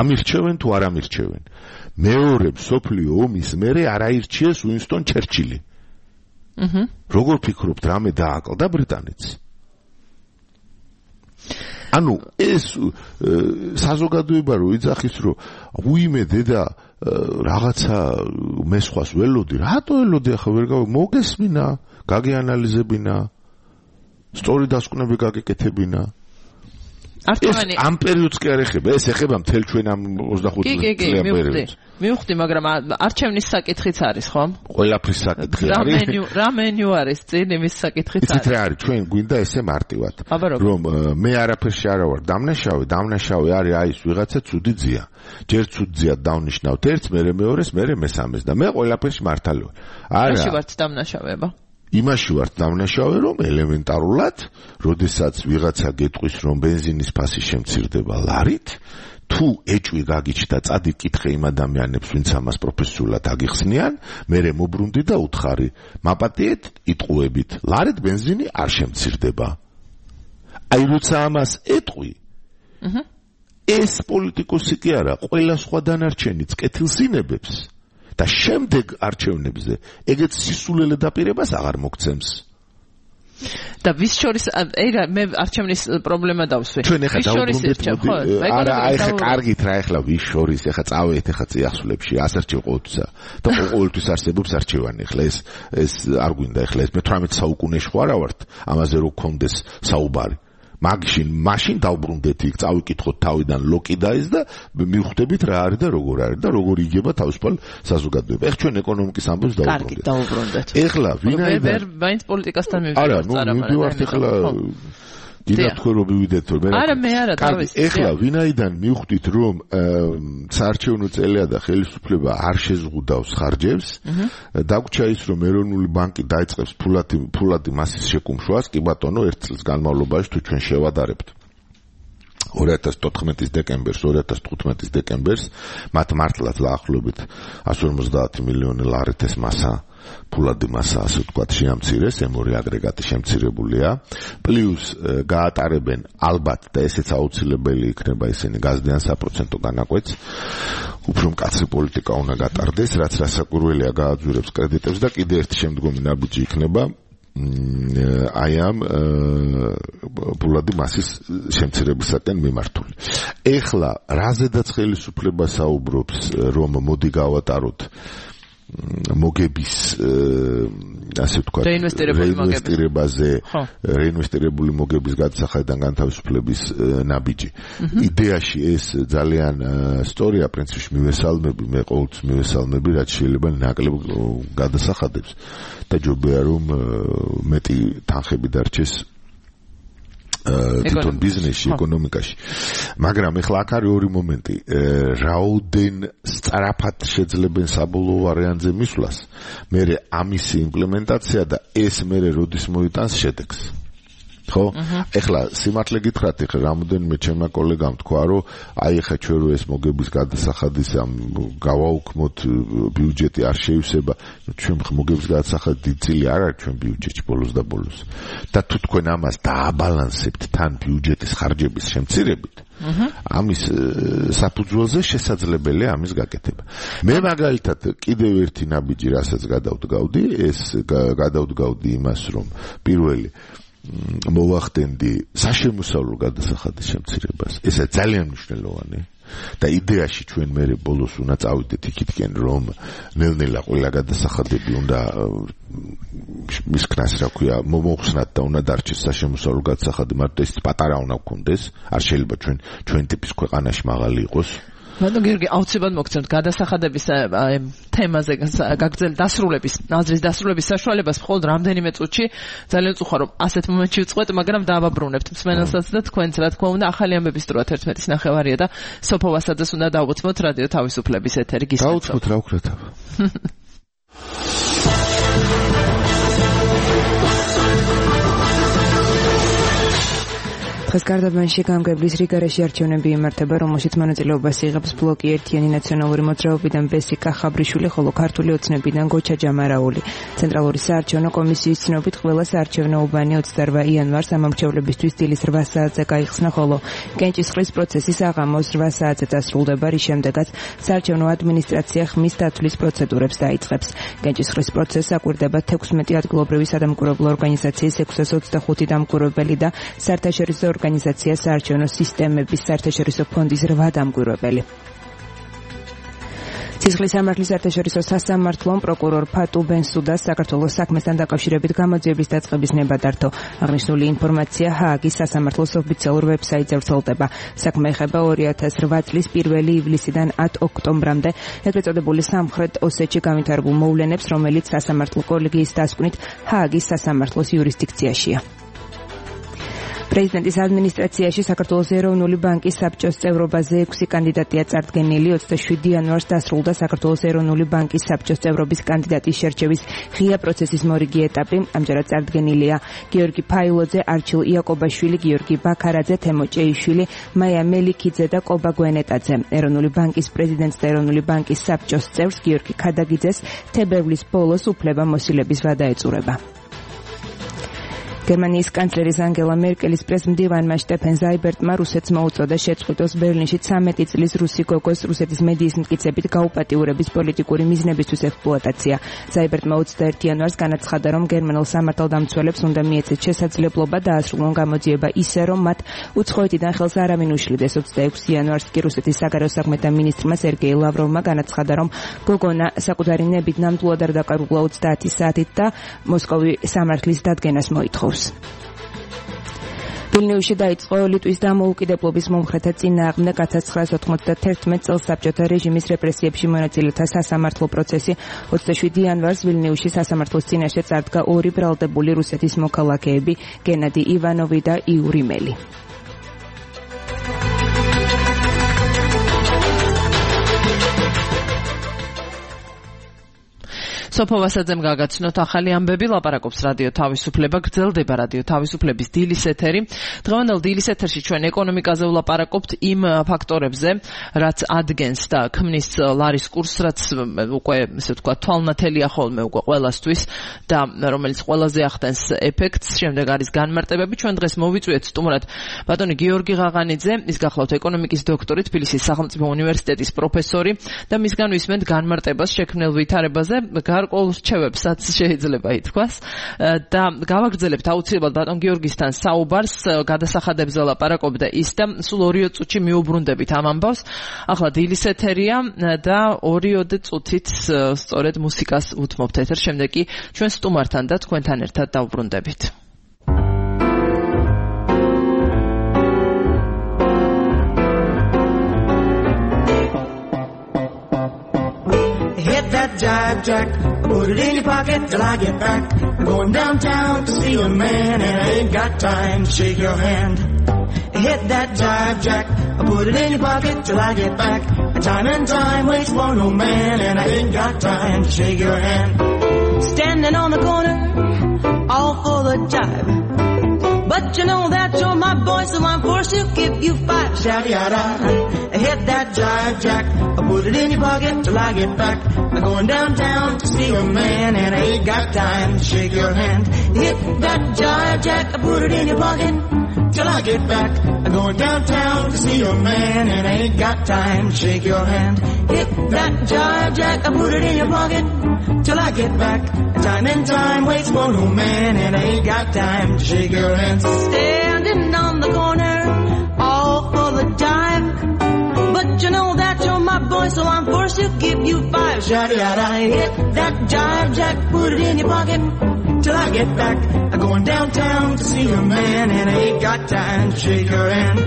ამირჩევენ თუ არ ამირჩევენ. მეორე მსოფლიო ომის მერე არ აირჩიეს უინსტონ ჩერჩილი. აჰა. როგორ ფიქრობთ, რამე დააკლდა ბრიტანეთს? ანუ ეს საზოგადოება რო იძახის, რომ უიმე დედა რაღაცა მესხვას ველოდი, რატო ელოდი ახლა ვერ გავა მოგესმინა, გაგეანალიზებინა, სწორი დასკვნები გაგეკეთებინა. არტოვანი ამ პერიოდს კი არ ეხება, ეს ეხება მთელ ჩვენ ამ ოცდახუთი წლიან პერიოდს. მივხვდი, მაგრამ არჩევნის საკითხიც არის, ხო? ყველაფრის საკითხი არის. რა მენიუ არის წინ იმის საკითხიც არის. იცით რა არის, ჩვენ გვინდა ესე მარტივად, რომ მე არაფერში არა ვარ დამნაშავე, დამნაშავე არის აი ეს ვიღაცა ცუდი ძია. ჯერ ცუდ ძიად დავნიშნავთ ერთს, მერე მეორეს, მერე მესამეს და მე ყველაფერში მართალი ვარ. არა. რაში ვართ დამნაშავება? იმაში ვართ დამნაშავე, რომ ელემენტარულად, როდესაც ვიღაცა გეტყვის, რომ ბენზინის ფასი შემცირდება ლარით, თუ ეჭვი გაგიჩნდა წადი კითხე იმ ადამიანებს, ვინც ამას პროფესიულად აგიხსნიან, მერე მობრუნდი და უთხარი, მაპატიეთ, იტყუებით, ლარით ბენზინი არ შემცირდება. აი როცა ამას ეტყვი, აჰა, ეს პოლიტიკოსი კი არა, ყველა სხვა დანარჩენიც კეთილს ინებებს. და შემდეგ არჩევნებზე ეგეც სისულელე დაპირებას აღარ მოგცემს. და ვის შორის ეგა მე არჩევნის პრობლემა დავსვე. ჩვენ ახლა დავუბრუნდეთ, არა, აი ხა კარგით რა ახლა ვის შორის, ახლა წავედით ახლა წიაღსულებში, ასარჩევ ყოველთვისა და ყოველთვის არსებობს არჩევანი. ახლა ეს ეს არ გვინდა ახლა ეს მეთვრამეტე საუკუნეში ხო არა ვართ, ამაზე რო გქონდეს საუბარი. მაგშინ მაშინ დავბრუნდეთ იქ, წავიკითხოთ თავიდან ლოკიდაის და მივხვდებით რა არის და როგორ არის და როგორ იგება თავისუფალ საზოგადოება. ეხლა ჩვენ ეკონომიკის ამბებს დავუბრუნდეთ. კარგი, დავუბრუნდეთ. ეხლა ვინაიდან ვერ მაინც პოლიტიკასთან მივიდეთ. არა, ნუ მივდივართ ეხლა გინდა თქვენ რომ მივიდეთ რომ მე არა მე არა თავის ეხლა ვინაიდან მივხვდით რომ საარჩევნო წელია და ხელისუფლება არ შეზღუდავს ხარჯებს, დაგვრჩა ის რომ ეროვნული ბანკი დაიწყებს ფულადი ფულადი მასის შეკუმშვას, კი ბატონო, ერთ წელს განმავლობაში თუ ჩვენ შევადარებთ ორი ათას თოთხმეტის დეკემბერს, ორი ათას თხუთმეტის დეკემბერს მათ მართლაც დაახლოებით εκατს ორმოცდაათი მილიონი ლარით ეს მასა ფულადი მასა, ასე ვთქვათ, შეამცირეს, ემ ორი აგრეგატი შემცირებულია, პლუს გაატარებენ ალბათ და ესეც აუცილებელი იქნება ისინი გაზდიან საპროცენტო განაკვეთს, უფრო მკაცრი პოლიტიკა უნდა გატარდეს, რაც რასაკვირველია გააძვირებს კრედიტებს და კიდე ერთი შემდგომი ნაბიჯი იქნება აი ამ ფულადი მასის შემცირებისაკენ მიმართული. ეხლა რაზედაც ხელისუფლება საუბრობს, რომ მოდი გავატაროთ მოგების ასე ვთქვათ რეინვესტირებაზე, რეინვესტირებული მოგების გადასახადიდან განთავისუფლების ნაბიჯი. იდეაში ეს ძალიან სწორია, პრინციპში მივესალმები, მე ყოველთვის მივესალმები, რაც შეიძლება ნაკლებ გადასახადებს და ჯობია რომ მეტი თანხები დარჩეს თვითონ ბიზნესში, ეკონომიკაში. მაგრამ ეხლა აქ არის ორი მომენტი. რაოდენ სწრაფად შეძლებენ საბოლოო ვარიანტზე მისვლას, მერე ამისი იმპლემენტაცია და ეს მერე როდის მოიტანს შედეგს. ხო? ეხლა სიმართლე გითხრათ, ეხლა რამოდენიმე ჩემმა კოლეგამ თქვა, რომ აი ეხლა ჩვენ რო ეს მოგების გადასახადის ამ გავაუქმოთ ბიუჯეტი არ შეივსება, ჩვენ მოგების გადასახადი დიდი წილი არ არის ჩვენ ბიუჯეტში ბოლოს და ბოლოს. და თუ თქვენ ამას დააბალანსებთ თან ბიუჯეტის ხარჯების შემცირებით, ამის საფუძველზე შესაძლებელია ამის გაკეთება. მე მაგალითად კიდევ ერთი ნაბიჯი რასაც გადავდგავდი, ეს გადავდგავდი იმას, რომ პირველი მოვახდენდი საშემოსავლო გადასახადის შემცირებას. ესა ძალიან მნიშვნელოვანია. და იდეაში ჩვენ მე ბოლოს უნდა წავიდეთ იქითკენ, რომ ნელ-ნელა ყველა გადასახადები უნდა მის ქნას რა ქვია მომოხსნათ და უნდა დარჩეს საშემოსავლო გადასახადი, მაგრამ ეს პატარა უნდა გქონდეს. არ შეიძლება ჩვენ ჩვენ ტიპის ქვეყანაში მაღალი იყოს. ბატონო გიორგი, აუცილებლად მოგცემთ გადასახადების თემაზე გაგრძელებით დასრულების, აზრის დასრულების საშუალებას მხოლოდ რამდენიმე წუთში. ძალიან უხარ რომ ასეთ მომენტში ვწყვეტ, მაგრამ დააბაბრუნებთ მსმენელსაც და თქვენც რა თქმა უნდა ახალი ამბების დროა თერთმეტის ნახევარია და სოფო ვასაძეს უნდა დავუცმოთ რადიო თავისუფლების ეთერი გისმენთ. დავუცმოთ რა ვქრათ. დღეს გარდაბანში გამგებლის რიგარეში არჩევნები იმართება, რომელშიც მონაწილეობას იღებს ბლოკი ერთიანი ნაციონალური მოძრაობიდან ბესიკა ხაბრიშვილი, ხოლო ქართული ოცნებიდან გოჩა ჯამარაული. ცენტრალური საარჩევნო კომისიის ცნობით ყველა საარჩევნო უბანი ოცდაორ იანვარს ამომრჩევლებისთვის დილის რვა საათზე გაიხსნა, ხოლო კენჭისყრის პროცესი საღამოს რვა საათზე დასრულდება, რის შემდეგაც საარჩევნო ადმინისტრაცია ხმის დათვლის პროცედურებს დაიწყებს. კენჭისყრის პროცესს აკვირდება თექვსმეტი ადგილობრივი სადამკვირვებლო ორგანიზაციის ექვსას ოცდახუთი დამკვირვებელი და საერთაშორისო ორგანიზაცია საარჩევნო სისტემების საერთაშორისო ფონდის რვა დამკვირვებელი. ცისხლის სამართლის საერთაშორისო სასამართლომ პროკურორ ფატუ ბენსუდას საქართველოს საქმესთან დაკავშირებით გამოძიების დაწყების ნება დართო. აღნიშნული ინფორმაცია ჰააგის სასამართლოს ოფიციალურ ვებსაიტზე ვრცელდება. საქმე ეხება ორი ათას რვა წლის პირველი ივლისიდან ათ ოქტომბრამდე ეგრეთ წოდებული სამხრეთ ოსეთში განვითარებულ მოვლენებს, რომელიც სასამართლო კოლეგიის დასკვნით ჰააგის სასამართლოს იურისდიქციაშია. პრეზიდენტის ადმინისტრაციაში საქართველოს ეროვნული ბანკის საბჭოს წევრობაზე ექვსი კანდიდატია წარდგენილი. ოცდაშვიდი იანვარს დასრულდა საქართველოს ეროვნული ბანკის საბჭოს წევრობის კანდიდატის შერჩევის ღია პროცესის მორიგი ეტაპი. ამჯერად წარდგენილია გიორგი ფაილოძე, არჩილ იაკობაშვილი, გიორგი ბაქარაძე, თემო ჭეიშვილი, მაია მელიქიძე და კობა გვენეტაძე. ეროვნული ბანკის პრეზიდენტს და ეროვნული ბანკის საბჭოს წევრს გიორგი ქადაგიძეს თებერვლის ბოლოს უფლება მოსილების ვადა ეწურება. გერმანიის კანცლერის ანგელა მერკელის პრესმდივანმა შტეფენ ზაიბერტმა რუსეთს მოუწოდა შეწყვიტოს ბერლინში ცამეტი წლის რუსი გოგოს რუსეთის მედიის მტკიცებით გაუპატიურების პოლიტიკური მიზნებისთვის ექსპლუატაცია. ზაიბერტმა ოცდაერთი იანვარს განაცხადა, რომ გერმანელ სამართალდამცველებს უნდა მიეცეთ შესაძლებლობა დაასრულონ გამოძიება ისე, რომ მათ უცხოეთიდან ხელს არავინ უშლიდეს. ოცდაექვსი იანვარს კი რუსეთის საგარეო საქმეთა მინისტრმა სერგეი ლავროვმა განაცხადა, რომ გოგონა საკუთარი ნებით ნამდვილად არ დაკარგულა ოცდაათი საათით და მოსკოვი სამართლის დადგენას მოითხოვს. ვილნიუსში დაიწყო ლიტვის დამოუკიდებლობის მომხრეთა წინააღმდეგ ათ ცხრაას ოთხმოცდათერთმეტ წელს საბჭოთა რეჟიმის რეპრესიებში მონაწილეთა სასამართლო პროცესი. ოცდაშვიდი იანვარს ვილნიუსში სასამართლოს წინაშე წარდგა ორი ბრალდებული რუსეთის მოქალაქეები, გენადი ივანოვი და იური მელი. სოფო ვასაძემ გაგაცნოთ ახალი ამბები, ლაპარაკობს რადიო თავისუფლება, გრძელდება რადიო თავისუფლების დილის ეთერი. დღევანდელ დილის ეთერში ჩვენ ეკონომიკაზე ვლაპარაკობთ იმ ფაქტორებზე, რაც ადგენს და ქმნის ლარის კურსს, რაც უკვე ესე ვთქვა თვალნათელია ხოლმე უკვე ყველასთვის და რომელიც ყველაზე ახდენს ეფექტს. შემდეგ არის განმარტებები. ჩვენ დღეს მოვიწვიეთ სტუმრად ბატონი გიორგი ღაღანიძე, ის გახლავთ ეკონომიკის დოქტორი, თბილისის სახელმწიფო უნივერსიტეტის პროფესორი და მისგან ვისმენთ განმარტებას შექმნილ ვითარებაზე. გარკვეულ რჩევებსაც შეიძლება ითქვას და გავაგრძელებთ აუცილებლად ბატონ გიორგისთან საუბარს, გადასახადებზე ლაპარაკობდა ის და სულ ორი წუთში მიუბრუნდებით ამ ამბავს. ახლა დილის ეთერია და ორიოდე წუთით სწორედ მუსიკას უთმობთ ეთერს, შემდეგ კი ჩვენ სტუმართან და თქვენთან ერთად დავბრუნდებით. That jive jack, put it in your pocket till I get back. I'm going downtown to see a man and I ain't got time to shake your hand. Hit that jive jack, put it in your pocket till I get back. Time and time waits for no man and I ain't got time to shake your hand. Standing on the corner, all full of jive, but But you know that you're my boy, so I'm forced to give you five. Shawty-yada, hit that jive jack. I put it in your pocket till I get back. I'm going downtown to see a man, and I ain't got time to shake your hand. Hit that jive jack. I put it in your pocket till I get back. I'm going downtown to see a man, and I ain't got time to shake your hand. Hit that jive jack. I put it in your pocket till I get back. Time and time waits for no man, and I ain't got time to shake your hand. Standing on the corner, all for the dime. But you know that you're my boy, so I'm forced to give you five. Shawty-yada, hit that jive jack, put it in your pocket till I get back. I'm going downtown to see a man, and I ain't got time to shake your hand.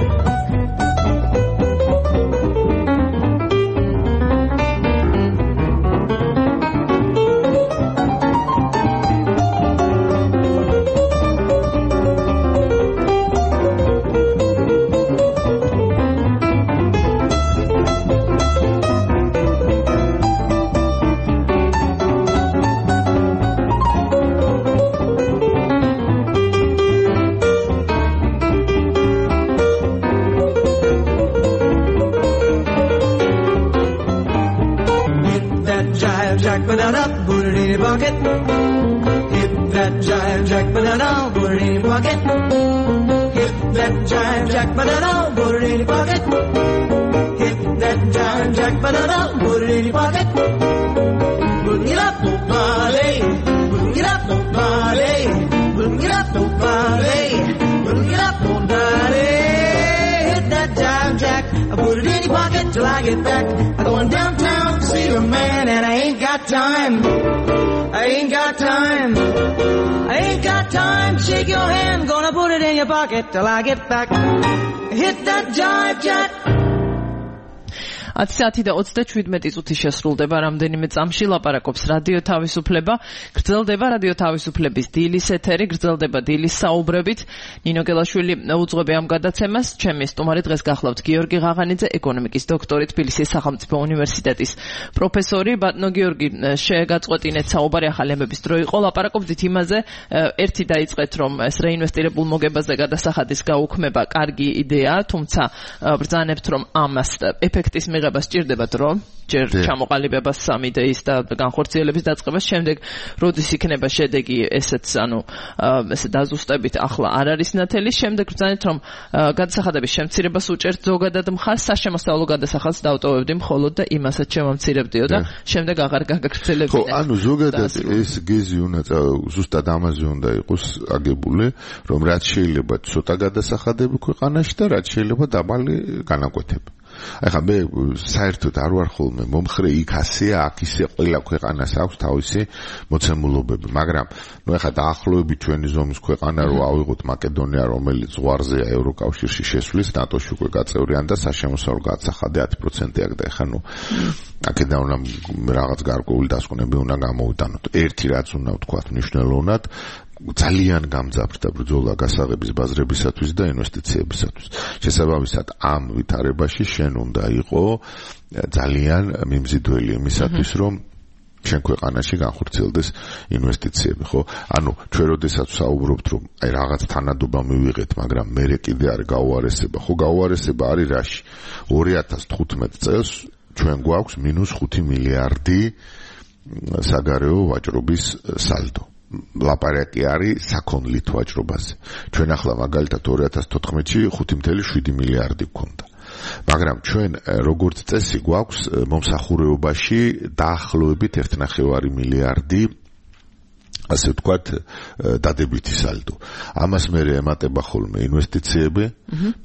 Put it in your pocket. Hit that jive jack, banana, put it in your pocket. Hit that jive jack, banana, put it in your pocket. Hit that jive jack, banana, put it in your pocket. Boom it up, boom party. Boom it up, boom party. Boom it up, boom party. Boom it up, boom party. Hit that jive jack, I put it in your pocket till I get back. I'm going downtown to see a man, and I ain't got time. I ain't got time. I ain't got time to shake your hand. Gonna put it in your pocket till I get back. Hit that jive jack. ათი საათი და ოცდაშვიდმეტი წუთი შესრულდება რამდენიმე წამში ლაპარაკობს რადიო თავისუფლება. გრძელდება რადიო თავისუფლების დილის ეთერი, გრძელდება დილის საუბრებით. ნინო გელაშვილი უძღვები ამ გადაცემას. ჩემი სტუმარი დღეს გახლავთ გიორგი ღაღანიძე, ეკონომიკის დოქტორი, თბილისის სახელმწიფო უნივერსიტეტის პროფესორი. ბატონო გიორგი, შეგაწყვეტინეთ საუბარი, ახალი ამბების დრო იყო. ლაპარაკობდით იმაზე, ერთი დაიწყეთ, რომ ეს რეინვესტირებულ მოგებაზე გადასახადის გაუქმება კარგი იდეაა, თუმცა ბრძანებთ, რომ ამას ეფექტის მიღება სჭირდება დრო, ჯერ ჩამოყალიბებას სამ იდეის და განხორციელების დაწყებას, შემდეგ როდის იქნება შედეგი, ესეც ანუ ესე დაზუსტებით ახლა არ არის ნათელი, შემდეგ ბრძანეთ, რომ გადასახადების შემცირებას უჭერთ ზოგადად მხარს, საშემოსავლო გადასახადს დავტოვებდი მხოლოდ და იმასაც შემამცირებდიო და შემდეგ აღარ გაგაგრძელებინე. ხო, ანუ ზოგადად ეს გეზი უნდა ზუსტად ამაზე უნდა იყოს აგებული, რომ რაც შეიძლება ცოტა გადასახადები ქვეყანაში და რაც შეიძლება დაბალი განაკვეთები. ახლა მე საერთოდ არ ვარ ხოლმე მომხრე იქ ასეა, აქ ისე ყველა ქვეყანას აქვს თავისი მოცემულობები, მაგრამ ნუ ახლა დაახლოებით ჩვენი ზომის ქვეყანა რო ავიღოთ მაკედონია, რომელიც ზღვარზეა ევროკავშირში შესვლის, ნატოში უკვე გაწევრიან და საშემოსავლო გადასახადი ათი პროცენტი აქვს და ახლა ნუ აქედან უნდა რაღაც გარკვეული დასკვნები უნდა გამოვიტანოთ. ერთი რაც უნდა ვთქვათ მნიშვნელოვნად, ძალიან გამძაფრდა ბრძოლა გასაღების ბაზრებისათვის და ინვესტიციებისათვის. შესაბამისად, ამ ვითარებაში შენ უნდა იყო ძალიან მიმზიდველი იმისათვის, რომ შენ ქვეყანაში განხორციელდეს ინვესტიციები, ხო? ანუ ჩვენ როდესაც საუბრობთ, რომ აი რაღაც თანადობა მივიღეთ, მაგრამ მერე კიდე არ გაუარესება, ხო, გაუარესება არის რაში? ორი ათას თხუთმეტ წელს ჩვენ გვაქვს მინუს ხუთი მილიარდი საგარეო ვაჭრობის სალდო. ლაპარაკი არის საქონლით ვაჭრობაზე. ჩვენ ახლა მაგალითად ორი ათას თოთხმეტში ხუთი ათეული შვიდი მილიარდი გვქონდა. მაგრამ ჩვენ როგორც წესი გვაქვს მომსახურეობაში დაახლოებით ერთი ნახევარი მილიარდი ასე ვთქვათ დადებითი სალდო. ამას მე ემატება ხოლმე ინვესტიციები,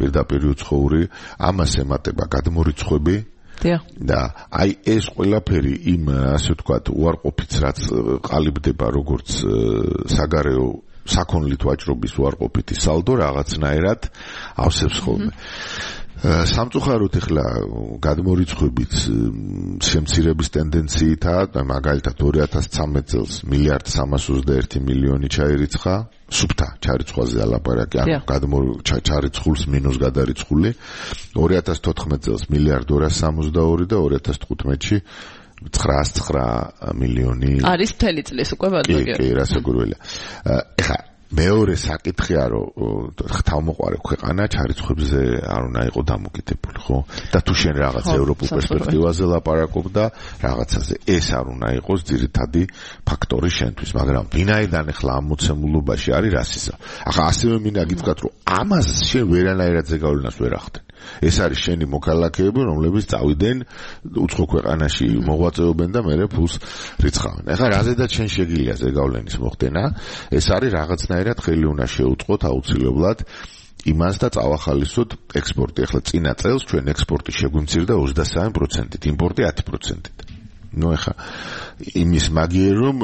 პირდაპირ უცხოური, ამას ემატება გადმორიცხვები. და აი ეს ყველაფერი იმ ასე ვთქვათ უარყოფით რაც ყალიბდება როგორც საგარეო საქონლით ვაჭრობის უარყოფითი სალდო რაღაცნაირად ავსებს ხოლმე. სამწუხაროდ ახლა გადმორიცხვებით შემცირების ტენდენციითაა და მაგალითად ორი ათას ცხრამეტ წელს მილიარდ სამას ოცდაერთი მილიონი ჩაირიცხა სუფთა ჩარიცხვაზე ალაპარაკი, ანუ გადმორიცხულს მინუს გადარიცხული. ორი ათას თოთხმეტ წელს მილიარდ ორას სამოცდაორი და ორი ათას თხუთმეტში ცხრაას ცხრა მილიონი. არის მთელი წლის უკვე ბატონო. კი, კი, რასაკვირველია. ეხლა მეორე საკითხია რომ ხთავმოყარე ქვეყანა ჩარიცხვებზე არ უნდა იყო დამოკიდებული ხო და თუ შენ რაღაც ევროპულ პერსპექტივაზე ლაპარაკობ და რაღაცაზე ეს არ უნდა იყოს ძირითადი ფაქტორი შენთვის მაგრამ ვინაიდან ახლა ამ მოცემულობაში არის რასიზა ახლა ასევე მინდა გითხრათ რომ ამას შენ ვერანაირად ზეგავლენას ვერ ახდენ ეს არის შენი მოქალაქეები რომლებიც წავიდნენ უცხო ქვეყანაში მოღვაწეობენ და მერე ფულს რიცხავენ ახლა რაზედაც შენ შეგიძლია ზეგავლენის მოხდენა ეს არის რაღაცნაირად ხელი უნდა შეუწყოთ აუცილებლად იმას და წავახალისოთ ექსპორტი ახლა წინა წელს ჩვენ ექსპორტი შეგვიმცირდა ოცდასამი პროცენტით იმპორტი ათი პროცენტით ნუ ახლა იმის მაგიერ რომ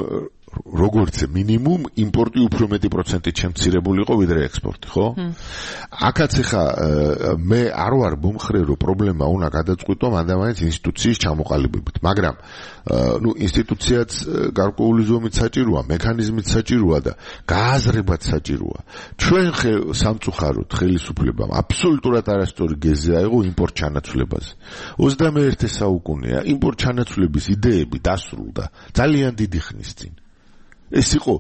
როგორც მინიმუმ იმპორტი უფრო მეტი პროცენტით შემცირებული იყო ვიდრე ექსპორტი, ხო? აქაც ხა მე არ ვარ მომხრე რომ პრობლემა უნდა გადაწყვიტო მანდამაინც ინსტიტუციის ჩამოყალიბებით, მაგრამ ნუ ინსტიტუციაც გარკვეული ზომით საჭიროა, მექანიზმით საჭიროა და გააზრებაც საჭიროა. ჩვენ სამწუხაროდ ხელისუფლებამ აბსოლუტურად არასწორი გეზი აიღო იმპორტ ჩანაცვლებაზე. ოცდამეერთე საუკუნეა იმპორტ ჩანაცვლების იდეები დასრულდა ძალიან დიდი ხნის წინ. ეს იყო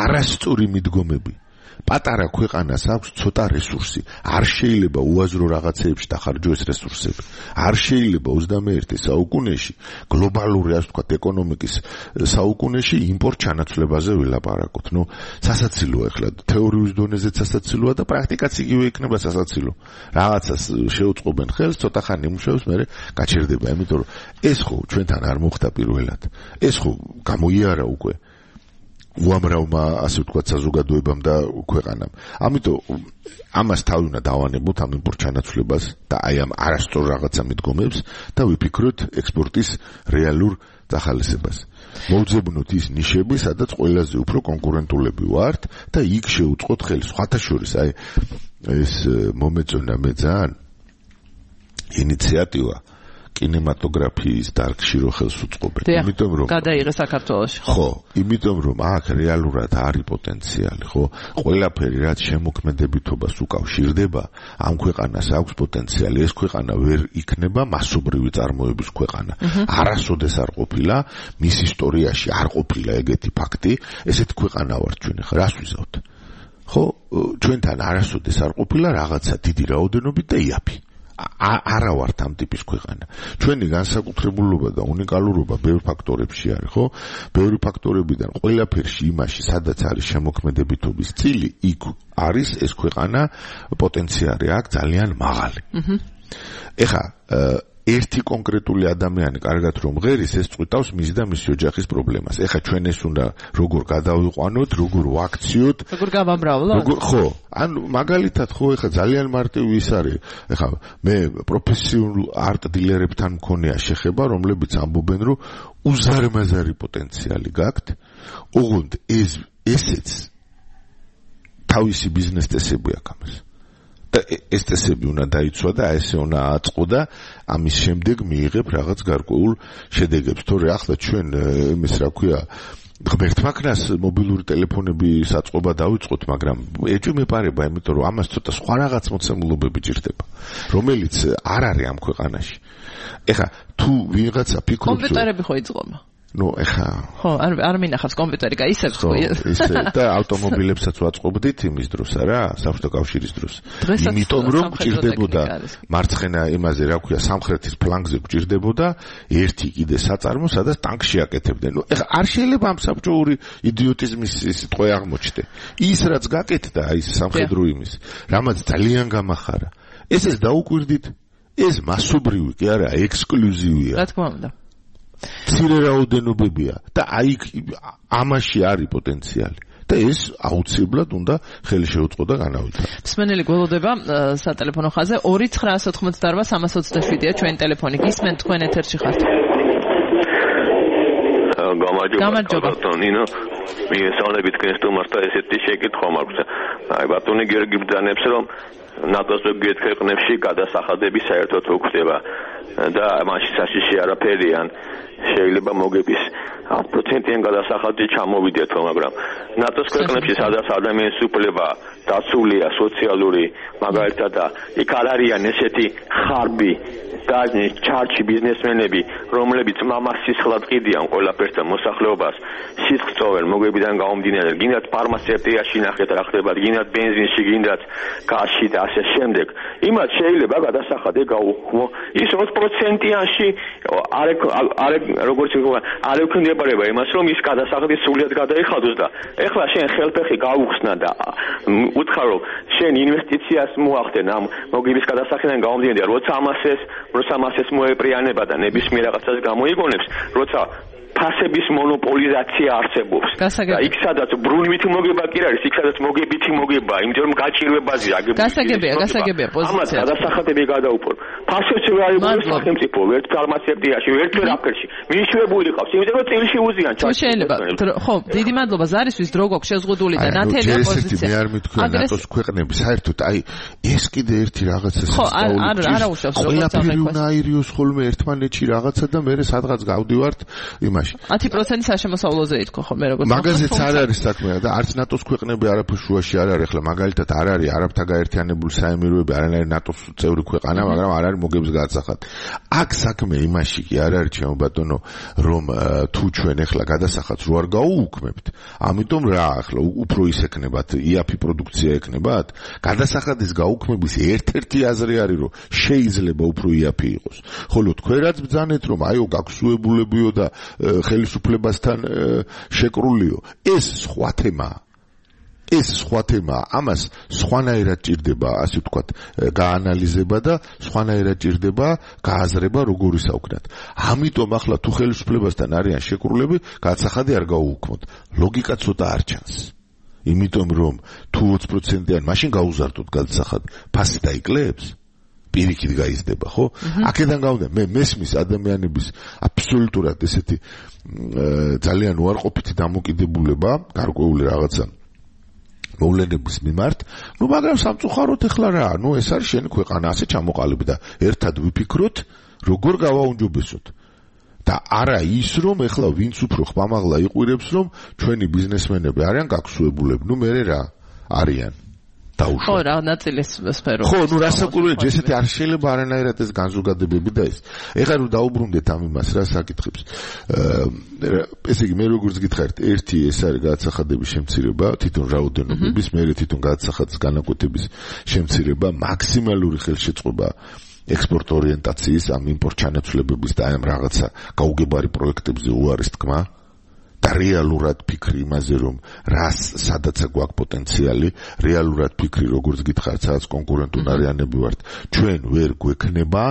არასწორი მიდგომები. პატარა ქვეყანას აქვს ცოტა რესურსი. არ შეიძლება უაზრო რაღაცეებში დახარჯო ეს რესურსები. არ შეიძლება ოცდამეერთე საუკუნეში გლობალური, ასე ვთქვათ, ეკონომიკის საუკუნეში იმპორტ ჩანაცვლებაზე ვილაპარაკოთ. ნუ სასაცილოა ახლა თეორიის დონეზეც სასაცილოა და პრაქტიკაც იგივე იქნება სასაცილო. რაღაცას შეუწყობენ ხელს, ცოტა ხანი იმუშავებს, მერე გაჩერდება, იმიტომ რომ ეს ხო ჩვენთან არ მოხდა პირველად. ეს ხო გამოიარა უკვე უამრავმა ასე ვთქვათ საზოგადოებამ და ქვეყანამ. ამიტომ ამას თავი უნდა დავანებოთ ამ იმპორტ ჩანაცვლებას და აი ამ არასწორ რაღაცა მიდგომებს და ვიფიქროთ ექსპორტის რეალურ დახალისებას. მოვძებნოთ ის ნიშები, სადაც ყველაზე უფრო კონკურენტულები ვართ და იქ შეუწყოთ ხელი. სხვათა შორის აი ეს მომეწონა მე ძალიან ინიციატივა კინემატოგრაფიის დარგში რო ხელს უწყობენ. იმიტომ რომ გადაიღე საქართველოში. ხო, იმიტომ რომ აქ რეალურად არის პოტენციალი, ხო? ყველაფერი რაც შემოქმედებითობას უკავშირდება, ამ ქვეყანას აქვს პოტენციალი. ეს ქვეყანა ვერ იქნება მასობრივი წარმოების ქვეყანა. არასოდეს არ ყოფილა, მის ისტორიაში არ ყოფილა ეგეთი ფაქტი, ესეთ ქვეყანა ვართ ჩვენ ახლა, რას ვიზავთ? ხო, ჩვენთან არასოდეს არ ყოფილა რაღაცა დიდი რაოდენობით და იაფი. არა ვართ ამ ტიპის ქვეყანა. ჩვენი განსაკუთრებულობა და უნიკალურობა ბევრ ფაქტორებში არის, ხო? ბევრი ფაქტორებიდან ყველაფერში იმაში, სადაც არის შემოქმედებითობის წილი, იქ არის ეს ქვეყანა პოტენციალი აქვს ძალიან მაღალი. ეხა ერთი კონკრეტული ადამიანი კარგად რომ ღერის, ეს წვითავს მის და მის ოჯახის პრობლემას. ეხა ჩვენ ეს უნდა როგორ გადავიყვანოთ, როგორ ვაქციოთ, როგორ გავამრავლოთ? როგორ ხო, ან მაგალითად ხო ეხა ძალიან მარტივი ის არის. ეხა მე პროფესიულ არტ დილერებთან მქონია შეხება, რომლებიც ამბობენ, რომ უზარმაზარი პოტენციალი გაქვთ. ოღონდ ეს ესეც თავისი ბიზნეს წესები აქვს ამას. და ეს წესები უნდა დაიცვა და ესე უნდა აწყო და ამის შემდეგ მიიღებ რაღაც გარკვეულ შედეგებს. თორე ახლა ჩვენ იმის რა ქვია ღმერთმა ქნას მობილური ტელეფონები საწყობა დავიწყოთ, მაგრამ ეჭვი მეპარება, იმიტომ რომ ამას ცოტა სხვა რაღაც მოცემულობები ჭირდება, რომელიც არ არის ამ ქვეყანაში. ეხა თუ ვიღაცა ფიქრობს კომპიუტერები ხო იწყობა? ნუ ეხა ხო, არ არ მინახავს კომპიუტერი, კაი ისე ხო ისე და ავტომობილებსაც ვაწყობდით იმის დროს არა, საბჭოთა კავშირის დროს. იმიტომ რომ გჭირდებოდა მარცხენა იმაზე რა ქვია, სამხრეთის ფლანგზე გჭირდებოდა ერთი კიდე საწარმო, სადაც ტანკში აკეთებდნენ. ნუ ეხა არ შეიძლება ამ საბჭოური იდიოტიზმის სიტყვა აღმოჩნდე. ის რაც გაკეთდა აი სამხედრო იმის, რამაც ძალიან გამახარა. ეს ეს დაუკვირდით, ეს მასობრივი კი არა, ექსკლუზივია. რა თქმა უნდა. ცირე რაოდენობებია და აი ამაში არის პოტენციალი და ეს აუცილებლად უნდა ხელი შეუწყო და განავითარო. მსმენელი გველოდება სატელეფონო ხაზზე ორი ცხრა ოცდაოთხმოცდაარბა სამას ოცდაშვიდია ჩვენ ტელეფონი. გისმენთ თქვენ ეთერში ხართ. გამარჯობა ბატონინო. მიესალმებით თქვენ სტუმარს და ესეთი შეკითხვა მაქვს. აი ბატონი გიორგი ბრძანებს რომ ნატოს ზოგიერთ ქვეყნებში გადასახადები საერთოდ უხდება და მაშინ საშიში არაფერიან შეიძლება მოგების პროცენტიან გადასახადი ჩამოვიდეთო, მაგრამ ნატოს ქვეყნებში სადაც ადამიანის უფლება დაცულია სოციალური მაგალითად და იქ არ არიან ესეთი ხარბი და ჩარჩი ბიზნესმენები, რომლებიც მამას სისხლად ყიდიან ყველაფერთან მოსახლეობას, სისხლს წოვენ მოგებიდან გამომდინარე, გინდათ ფარმაცევტიაში ნახეთ რა ხდება, გინდათ ბენზინში, გინდათ გაზში და ასე შემდეგ. იმათ შეიძლება გადასახადი გაუქმო. ის ოც პროცენტიანში არ არ როგორც ვთქვა, არ ექვემდებარება იმას, რომ ის გადასახადი სულიად გადაიხადოს და ეხლა შენ ხელფეხი გაუხსნა და უთხრა რომ შენ ინვესტიციას მოახდენ ამ მოგების გადასახადიდან გამომდინარე, როცა ამასეს როცა მასეს მოეპრიანება და ნებისმიერ რაღაცას გამოიგონებს, როცა ფასების მონოპოლიზაცია არსებობს. და იქ სადაც ბრუნვითი მოგება კი არის, იქ სადაც მოგებითი მოგება, იმიტომ რომ გაჭირვებაზე აგებული. გასაგებია, გასაგებია პოზიცია. ამას გადასახადები გადაუპო. ფასებს ვერ აიღოს სახელმწიფო, ერთ ფარმაცევტიაში, ერთ ვერაფერში. მიშვებული ყავს, იმიტომ რომ წილში უზიან ჩაჭირება. შეიძლება, ხო, დიდი მადლობა ზარისთვის დრო გვაქვს შეზღუდული და ნათელია პოზიცია. მე არ მithქვია ნატოს ქვეყნები, საერთოდ აი ეს კიდე ერთი რაღაცა ხო, არ არ არაუშავს როგორც ყველაფერი უნდა აირიოს ხოლმე ერთმანეთში რაღაცა და მე სადღაც გავდივართ იმაში ათი პროცენტი საშემოსავლოზე ითქვა ხოლმე როგორც მაგაზეც არ არის საქმე და არც ნატოს ქვეყნები არაფერ შუაში არ არის ახლა მაგალითად არ არის არაბთა გაერთიანებული საემიროები არანაირი ნატოს წევრი ქვეყანა მაგრამ არ არის მოგების გადასახადი აქ საქმე იმაში კი არ არის ჩემო ბატონო რომ თუ ჩვენ ახლა გადასახადს რო არ გაუუქმებთ ამიტომ რა ახლა უფრო ის ეკნებათ იაფი პროდუქცია ეკნებათ გადასახადის გაუქმების ერთ-ერთი აზრი არის რომ შეიძლება უფრო იაფი იყოს ხოლო თქვენ რაც ბძანეთ რომ აიო გაგსუებულებიო და ხელისუფლებასთან შეკრულიო ეს სხვა თემაა ეს სხვა თემაა ამას სხვანაირად ჭირდება ასე ვთქვათ გაანალიზება და სხვანაირად ჭირდება გააზრება როგორ ისაუქნათ ამიტომ ახლა თუ ხელისუფლებასთან არიან შეკრულები გადასახადი არ გაუუქმოთ ლოგიკა ცოტა არ ჩანს იმიტომ რომ თუ ოცი პროცენტიან მაშინ გაუზარდოთ გადასახადი ფასი დაიკლებს პირიქით გაიზრდება ხო? აქედან გავდა მე მესმის ადამიანების აბსოლუტურად ესეთი ძალიან უარყოფითი დამოკიდებულება, გარკვეული რაღაცა მოვლენების მიმართ, ну მაგრამ სამწუხაროდ ეხლა რა, ну ეს არის შენი ქვეყანა, ასე ჩამოყალიბდა და ერთად ვიფიქროთ, როგორ გავაუნჯობესოთ. და არა ის რომ ეხლა ვინც უფრო ხმამაღლა იყვირებს რომ ჩვენი ბიზნესმენები არიან გაგსუებულები, ну მე რა არიან ხო რა ნაწილის სფერო ხო ნუ რასაკვირველია ესეთი არ შეიძლება არანაირად ეს განზოგადებები და ეს ეხლა რომ დაუბრუნდეთ ამ იმას რა საკითხებს ესე იგი მე როგორც გითხარით ერთი ეს არის გადასახადების შემცირება თვითონ რაოდენობების მეორე თვითონ გადასახადის განაკვეთების შემცირება მაქსიმალური ხელშეწყობა ექსპორტ ორიენტაციის ამ იმპორტ ჩანაცვლებების და ამ რაღაცა გაუგებარი პროექტებზე უარის თქმა და რეალურად ფიქრი იმაზე რომ რას სადაც გვაქვს პოტენციალი რეალურად ფიქრი როგორც გითხართ სადაც კონკურენტუნარიანები ვართ ჩვენ ვერ გვექნება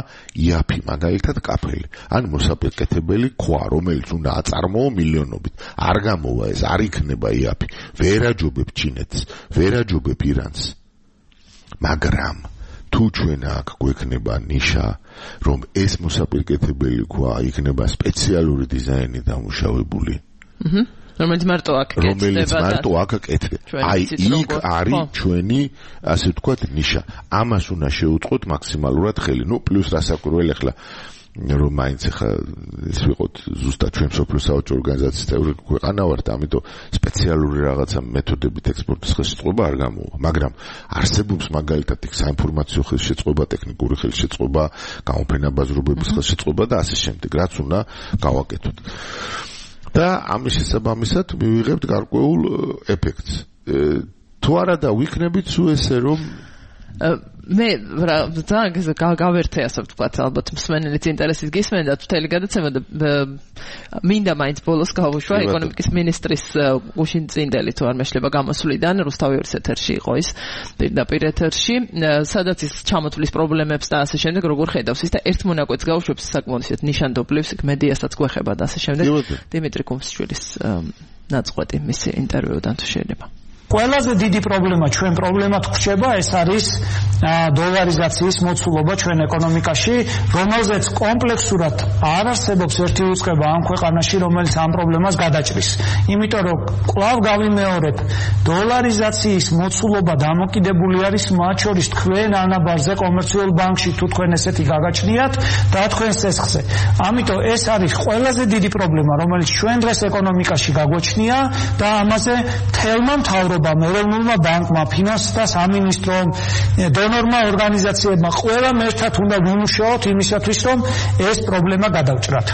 იაფი მაგალითად კაფელი ან მოსაპაკეთებელი ქვა რომელიც უნდა აწარმოო მილიონობით არ გამოვა ეს არ იქნება იაფი ვერ აჯობებ ჩინეთს ვერ აჯობებ ირანს მაგრამ თუ ჩვენ აქ გვექნება ნიშა რომ ეს მოსაპაკეთებელი ქვა იქნება სპეციალური დიზაინი დამუშავებული Mhm. რომელიც მარტო აქ კეთდება. რომელიც მარტო აქ კეთდება. აი იქ არის ჩვენი ასე ვთქვათ ნიშა. ამას უნდა შევუწყოთ მაქსიმალურად ხელი. ნუ პლუს რასაკვირველი ახლა რომ მაინც ახლა ის ვიყოთ ზუსტად ჩვენ სოფლის საავადმყოფო ორგანიზაციის წევრი ქვეყანა ვართ, ამიტომ სპეციალური რაღაცა მეთოდებით ექსპორტის ხელშეწყობა არ გამოვა. მაგრამ არსებობს მაგალითად იქ საინფორმაციო ხელშეწყობა, ტექნიკური ხელშეწყობა, გამოფენაბაზრობების ხელშეწყობა და ასე შემდეგ, რაც უნდა გავაკეთოთ. და ამის შესაბამისად მივიღებთ გარკვეულ ეფექტს. თუ არა და ვიქნებით სულ ესე რომ მე რა ძალიან გავერთე ასე ვთქვათ ალბათ მსმენელიც ინტერესის გისმენდა თითელი გადაცემა და მინდა მაინც ბოლოს გავუშვა ეკონომიკის მინისტრის გუშინ წინდელი თუ არ მეშლება გამოსვლიდან რუსთავი ორის ეთერში იყო ის პირდაპირ ეთერში სადაც ის ჩამოთვლის პრობლემებს და ასე შემდეგ როგორ ხედავს ის და ერთ მონაკვეთს გავუშვებს საკმაოდ ისეთ ნიშანდობლებს იქ მედიასაც გვეხება და ასე შემდეგ დიმიტრი კუმსჩვილის ნაწყვეტი მისი ინტერვიუდან თუ შეიძლება ყველაზე დიდი პრობლემა ჩვენ პრობლემად ვრჩება ეს არის დოლარიზაციის მოცულობა ჩვენ ეკონომიკაში, რომელზეც კომპლექსურად არ არსებობს ერთი უწყება ამ ქვეყანაში, რომელიც ამ პრობლემას გადაჭრის. იმიტომ რომ კვლავ გავიმეორებ, დოლარიზაციის მოცულობა დამოკიდებული არის მათ შორის თქვენ ანაბარზე კომერციულ ბანკში თუ თქვენ ესეთი გაგაჩნიათ და თქვენ სესხზე. ამიტომ ეს არის ყველაზე დიდი პრობლემა, რომელიც ჩვენ დღეს ეკონომიკაში გაგვაჩნია და ამაზე თელმა მთავრობამ მმართველობამ, ეროვნულმა ბანკმა, ფინანსთა სამინისტრომ, დონორმა ორგანიზაციებმა ყველამ ერთად უნდა ვიმუშაოთ იმისათვის, რომ ეს პრობლემა გადავჭრათ.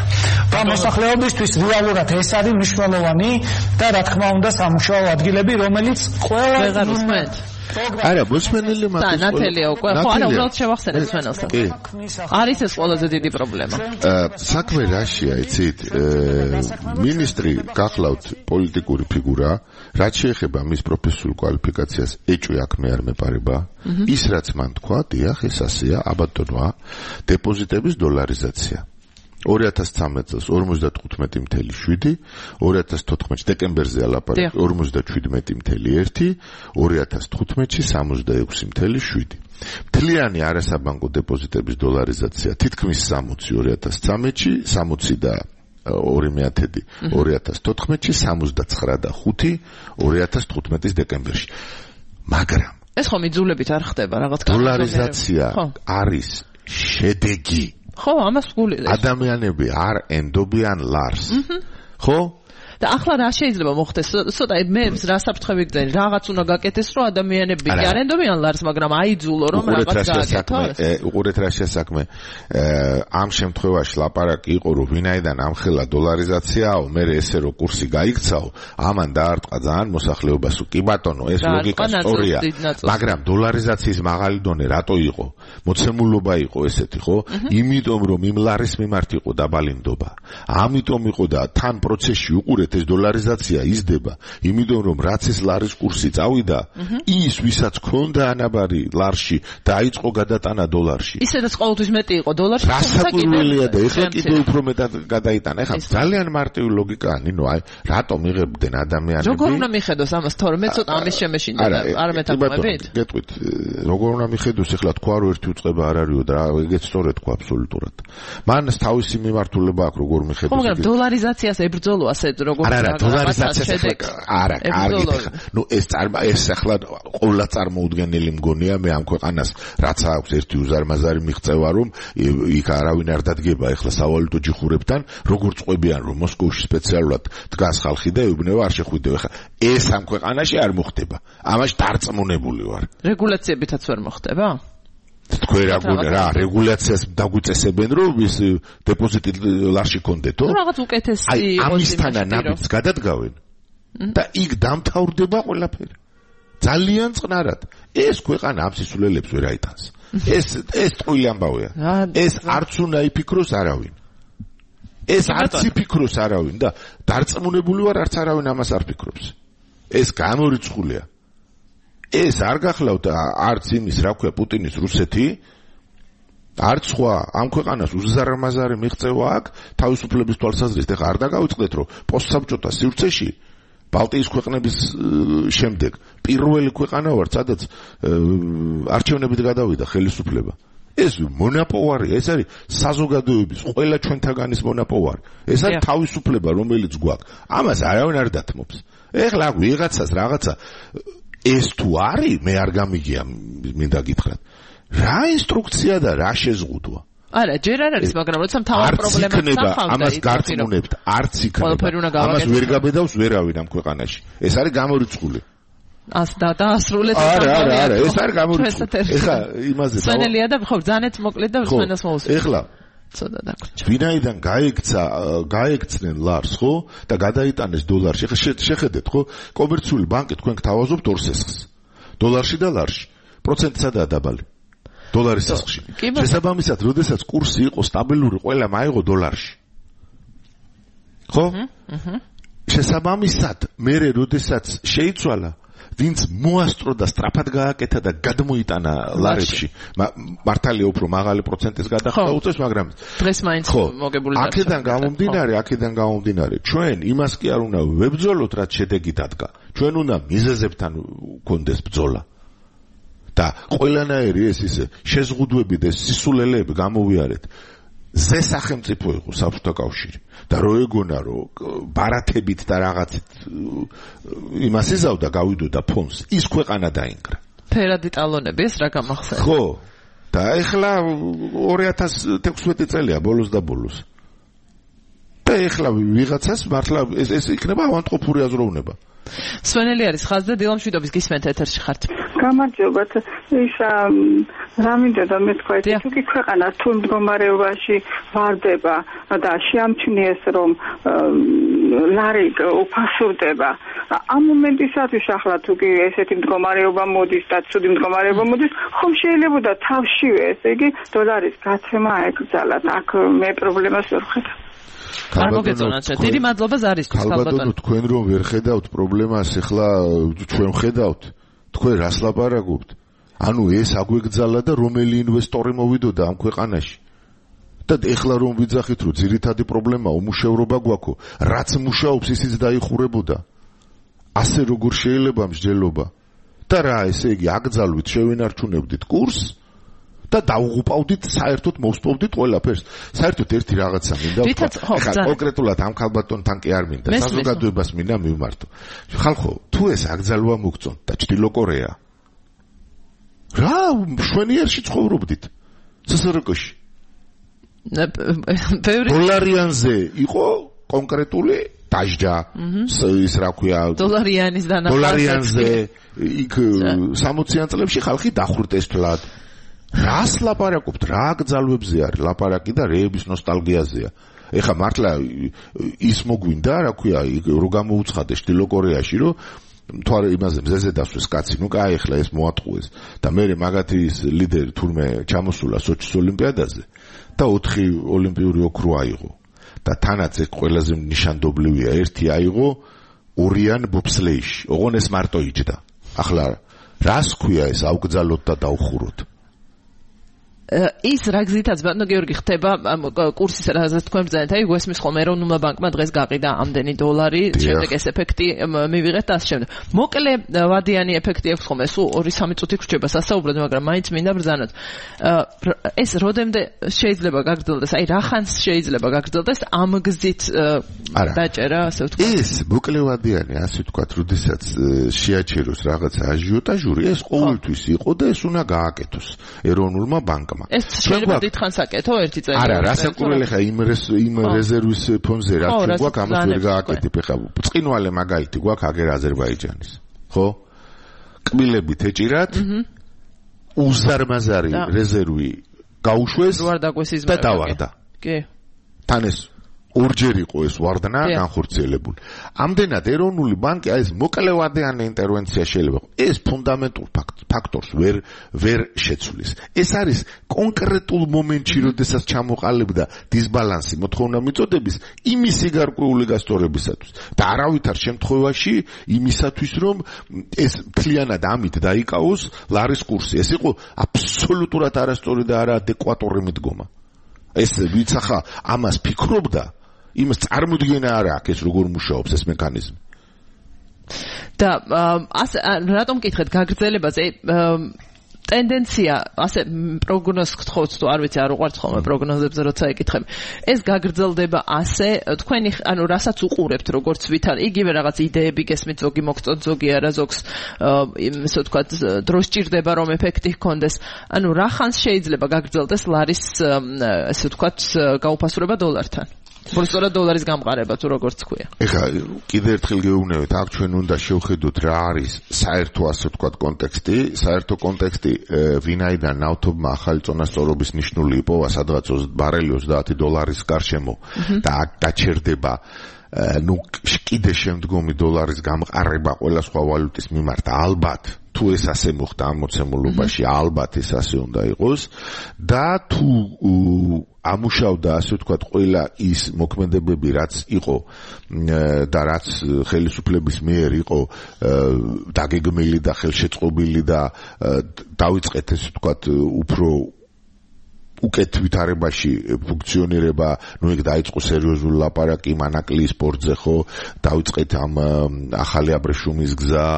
და მოსახლეობისთვის რეალურად ეს არის მნიშვნელოვანი და რა თქმა უნდა სამუშაო ადგილები, რომელიც ყველა არა, მოსმენელი მაგის და ნათელია უკვე, ხო, არა, უბრალოდ შევახსენეთ სვენელსაც. არის ეს ყველაზე დიდი პრობლემა. საქმე რაშია, იცით? მინისტრი გახლავთ პოლიტიკური ფიგურა, რაც შეეხება მის პროფესიულ კვალიფიკაციას, ეჭვი აქ მე არ მეპარება. ის რაც მან თქვა, დიახ, ეს ასეა, აბატონოა, დეპოზიტების დოლარიზაცია. ორი ათას ცხრამეტ წელს ორმოცდათხუთმეტი ათეული, ორი ათას თოთხმეტში დეკემბერზე ალაპარაკი ორმოცდაშვიდმეტი ათეული ერთი, ორი ათას თხუთმეტში სამოცდაექვსი ათეული შვიდი. მთლიანი არასაბანკო დეპოზიტების დოლარიზაცია თითქმის სამოცი ორი ათას ცხრამეტში, სამოცი და ორი მეათედი ორი ათას თოთხმეტში, სამოცდაცხრა და ხუთი ორი ათას თხუთმეტის დეკემბერში. მაგრამ ეს ხომ იძულებით არ ხდება რაღაც დოლარიზაცია არის შედეგი. ხო, ამას ვგულით. ადამიანები არ ენდობიან ლარს. ხო? და ახლა რა შეიძლება მოხდეს? ცოტა მე რა საფრთხე ვიგრძენი, რაღაც უნდა გაკეთდეს, რომ ადამიანები არ ენდობიან ლარს, მაგრამ აიძულო რომ რაღაც გააკეთოს. უყურეთ რა შესაქმე. ამ შემთხვევაში ლაპარაკი იყო, რომ ვინაიდან ამხელა დოლარიზაციაო, მე ესე რომ კურსი გაიქცაო, ამან დაარტყა ძალიან მოსახლეობას. კი ბატონო, ეს ლოგიკა სწორია. მაგრამ დოლარიზაციის მაღალი დონე რატო იყო? მოცემულობა იყო ესეთი, ხო? იმიტომ რომ იმ ლარის მიმართ იყო დაბალინდობა. ამიტომ იყო და თან პროცესში უყურეთ ეს დოლარიზაცია იზრდება, იმიტომ რომ რაც ეს ლარის კურსი წავიდა, ის ვისაც ქონდა ანაბარი ლარში დაიწყო გადატანა დოლარში. ისედაც ყოველთვის მეტი იყო დოლარში, სასაკვირველია და ეხლა კიდევ უფრო მეტად გადაიტანა. ეხლა ძალიან მარტივი ლოგიკაა, ნინო, აი, რატომ იღებდნენ ადამიანები? როგორ უნდა მიხედოს ამას თორე მე ცოტა ამის შემეშინდა არ მეთაყვებით? გეტყვით, როგორ უნდა მიხედოს ეხლა თქვა რომ ერთი უწყება არ არისო და ეგეც სწორედ თქვა აბსოლუტურად. მან თავისი მიმართულება აქვს როგორ მიხედოს. ხო, მაგრამ დოლარიზაციას ებრძოლო ასე როგორ არა, არა, დოლარიზაციას არა, კარგი. ნუ ეს წარმა ეს ახლა ყოვლა წარმოუდგენელი მგონია მე ამ ქვეყანას, რაც აქვს ერთი უზარმაზარი მიღწევა, რომ იქ არავინ არ დადგება ახლა სავალუტო ჯიხურებთან, როგორ წყვებიან, რომ მოსკოვში სპეციალურად დგას ხალხი და ეუბნება არ შეხვიდეო. ახლა ეს ამ ქვეყანაში არ მოხდება. ამაში დარწმუნებული ვარ. რეგულაციებითაც ვერ მოხდება? თქვენ რა გონია რა რეგულაციას დაგვიწესებენ რომ ის დეპოზიტი ლარში კონდეთო? რაღაც უკეთესი იყოს ამისთანა ნაბიჯს გადადგავენ და იქ დამთავრდება ყველაფერი. ძალიან წყნარად. ეს ქვეყანა ამ სისულელებს ვერ აიტანს. ეს ეს ტყუილი ამბავია. ეს არც უნდა იფიქროს არავინ. ეს არც იფიქროს არავინ და დარწმუნებული ვარ არც არავინ ამას არ ფიქრობს. ეს გამორიცხულია. ეს არ გახლავთ არც იმის რა ქვია პუტინის რუსეთი, არც სხვა ამ ქვეყანას უზარმაზარი მიღწევა აქვს თავისუფლების თვალსაზრისით. ეხლა არ დაგავიწყდეთ რომ პოსტსაბჭოთა სივრცეში ბალტიის ქვეყნების შემდეგ პირველი ქვეყანა ვარ, სადაც არჩევნებით გადავიდა ხელისუფლება. ეს მონაპოვარია, ეს არის საზოგადოების ყველა ჩვენთაგანის მონაპოვარი. ეს არის თავისუფლება, რომელიც გვაქვს. ამას არავინ არ დათმობს. ეხლა ვიღაცას რაღაცა ეს თუ არის, მე არ გამიგია, მინდა გითხრათ. რა ინსტრუქცია და რა შეზღუდვა? არა, ჯერ არ არის, მაგრამ როცა მთავარ პრობლემას სახავდა, ამას გარწმუნებთ, არც იქნება. ამას ვერ გაბედავს ვერავინ ამ ქვეყანაში. ეს არის გამორიცხული. ას და დაასრულეთ ამ არა, არა, არა, ეს არის გამორიცხული. ეხლა იმაზე დავა. სვენელია და ხო, ძანეთ მოკლედ და სვენელს მოусვით. ეხლა ცოტა დაგვრჩა. ვინაიდან გაიქცა, გაიქცნენ ლარს, ხო? და გადაიტანეს დოლარში. ეხლა შეხედეთ, ხო? კომერციული ბანკი თქვენ გთავაზობთ ორ სესხს. დოლარში და ლარში. პროცენტი სადაა დაბალი? დოლარის სესხში. შესაბამისად, როდესაც კურსი იყო სტაბილური, ყველა მაიღო დოლარში. ხო? აჰა. შესაბამისად, მე როდესაც შეიცვალა ვინც მოასწრო და სწრაფად გააკეთა და გადმოიტანა ლარებში. მართალია უფრო მაღალი პროცენტის გადახდა უწევს, მაგრამ დღეს მაინც მოგებული დარჩა. აქედან გამომდინარე, აქედან გამომდინარე, ჩვენ იმას კი არ უნდა ვებრძოლოთ, რაც შედეგი დადგა. ჩვენ უნდა მიზეზებთან გქონდეს ბრძოლა. და ყველანაირი ეს ისე შეზღუდვები და სისულელეები გამოვიარეთ. ზე სახელმწიფო იყო საბჭოთა კავშირი და რო ეგონა რომ ბარათებით და რაღაცით იმას იზავდა გავიდოდა ფონს, ის ქვეყანა დაინგრა. ფერადი ტალონები ეს რა გამახსენდა? ხო. და ეხლა ორი ათას თექვსმეტი წელია ბოლოს და ბოლოს. და ეხლა ვიღაცას მართლა ეს ეს იქნება ავანტყოფური აზროვნება. სვენელი არის ხაზზე დილამშვიდობის გისმენთ ეთერში ხართ. გამარჯობათ. ის რა მინდოდა მე თქვა ეს თუ კი ქვეყანა თუ მდგომარეობაში ვარდება და შეამჩნიეს რომ ლარი უფასურდება ამ მომენტისათვის ახლა თუ კი ესეთი მდგომარეობა მოდის და ცუდი მდგომარეობა მოდის ხომ შეიძლებოდა თავშივე ესე იგი დოლარის გაცემა ეკრძალათ აქ მე პრობლემას ვერ ვხედავ. არ მოგეწონათ დიდი მადლობა ზარისთვის ქალბატონო თქვენ რომ ვერ ხედავთ პრობლემას ეხლა ჩვენ ხედავთ თქვენ რას ლაპარაკობთ ანუ ეს აგვეგძალა და რომელი ინვესტორი მოვიდოდა ამ ქვეყანაში და ეხლა რომ ვიძახით რომ ძირითადი პრობლემა უმუშევრობა გვაქვს რაც მუშაობს ისიც დაიხურებოდა ასე როგორ შეიძლება მსჯელობა და რა ესე იგი აკძალვით შევინარჩუნებდით კურსს და დაუღუპავდით საერთოდ მოვსპოვდით ყველაფერს საერთოდ ერთი რაღაცა მინდა ახლა კონკრეტულად ამ ქალბატონთან კი არ მინდა საზოგადოებას მინდა მივმართო ხალხო თუ ეს აკძალვა მოგწონთ და ჩრდილო კორეა რა შვენიერში ცხოვრობდით სსრკ-ში დოლარიანზე იყო კონკრეტული დაჟჯა ის რა ქვია დოლარიანის დანახვა დოლარიანზე იქ სამოციან წლებში ხალხი დახვრიტეს თლად რას ლაპარაკობთ რა აკძალვებზე არის ლაპარაკი და რეების ნოსტალგიაზეა ეხა მართლა ის მოგვინდა რა ქვია რო გამოუცხადეს ჩრდილო კორეაში რომ თوار იმაზე მზეზე დასვეს კაცი ნუ კაი ეხლა ეს მოატყუეს და მე მაგათი ის ლიდერი თურმე ჩამოსულა სოჩის ოლიმპიადაზე და ოთხი ოლიმპიური ოქრო აიღო და თანაც ეს ყველაზე ნიშანდობლივია ერთი აიღო ორიან ბობსლეიში ოღონ ეს მარტო იჯდა ახლა რას ქვია ეს აუკძალოთ და დაუხუროთ ის რა გზითაც ბატონო გიორგი ხდება კურსის რაზეც თქვენ ბრძანეთ აი გვესმის ხოლმე ეროვნულმა ბანკმა დღეს გაყიდა ამდენი დოლარი შემდეგ ეს ეფექტი მივიღეთ და ასე შემდეგ მოკლე ვადიანი ეფექტი აქვს ხოლმე სულ ორი სამი წუთი გრჩება სასაუბრად მაგრამ მაინც მინდა ბრძანოთ ეს როდემდე შეიძლება გაგრძელდეს აი რა ხანს შეიძლება გაგრძელდეს ამ გზით დაჭერა ასე ვთქვათ ეს მოკლე ვადიანი ასე ვთქვათ როდესაც შეაჩეროს რაღაცა აჟიოტაჟური ეს ყოველთვის იყო და ეს უნდა გააკეთოს ეროვნულმა ბანკმა ეს შეიძლება დიდხანს აკეთო ერთი წელი არა რასაკურველი ხა იმ იმ რეზერვის ფონდზე რა გვაქვს ამას ვერ გააკეთებ ხა წინვალე მაგალითი გვაქვს აგერ აზერბაიჯანის ხო კბილებით ეჭირათ უზარმაზარი რეზერვი გაუშვეს და დავარდა კი თან ეს ორჯერ იყო ეს ვარდნა განხორციელებული. ამდენად ეროვნული ბანკი აი ეს მოკლევადიანი ინტერვენცია შეიძლება ეს ფუნდამენტურ ფაქტორს ვერ ვერ შეცვლის. ეს არის კონკრეტულ მომენტში, როდესაც ჩამოყალიბდა დისბალანსი მოთხოვნა მიწოდების იმისი გარკვეული გასწორებისათვის და არავითარ შემთხვევაში იმისათვის, რომ ეს მთლიანად ამით დაიკავოს ლარის კურსი. ეს იყო აბსოლუტურად არასწორი და არაადეკვატური მიდგომა. ეს ვიც ახლა ამას ფიქრობდა იმას წარმოდგენა არ აქვს ეს როგორ მუშაობს ეს მექანიზმი. და ასე რატომ კითხეთ გაგრძელებაზე ტენდენცია ასე პროგნოზს გთხოვთ თუ არ ვიცი არ უყვართ ხოლმე პროგნოზებზე როცა ეკითხები ეს გაგრძელდება ასე თქვენი ანუ რასაც უყურებთ როგორც ვითარ იგივე რაღაც იდეები გესმით ზოგი მოგწონთ ზოგი არა ზოგს ისე ვთქვათ დრო სჭირდება რომ ეფექტი ჰქონდეს ანუ რა ხანს შეიძლება გაგრძელდეს ლარის ესე ვთქვათ გაუფასურება დოლართან სწორად დოლარის გამყარება თუ როგორც ქვია. ეხლა კიდევ ერთხელ გეუბნებით, აქ ჩვენ უნდა შევხედოთ რა არის საერთო ასე ვთქვათ კონტექსტი, საერთო კონტექსტი ვინაიდან ნავთობმა ახალი წონასწორობის ნიშნული იპოვა სადღაც ბარელი ოცდაათი დოლარის გარშემო და აქ დაჩერდება ნუ კიდე შემდგომი დოლარის გამყარება ყველა სხვა ვალუტის მიმართ ალბათ თუ ეს ასე მოხდა ამ მოცემულობაში ალბათ ეს ასე უნდა იყოს და თუ ამუშავდა ასე ვთქვათ ყველა ის მოქმედებები რაც იყო და რაც ხელისუფლების მიერ იყო დაგეგმილი და ხელშეწყობილი და დაიწყეთ ესე ვთქვათ უფრო უკეთ ვითარებაში ფუნქციონირება, ნუ იქ დაიწყო სერიოზული ლაპარაკი მანაკლის სპორტზე ხო, დაიწყეთ ამ ახალი აბრეშუმის გზა,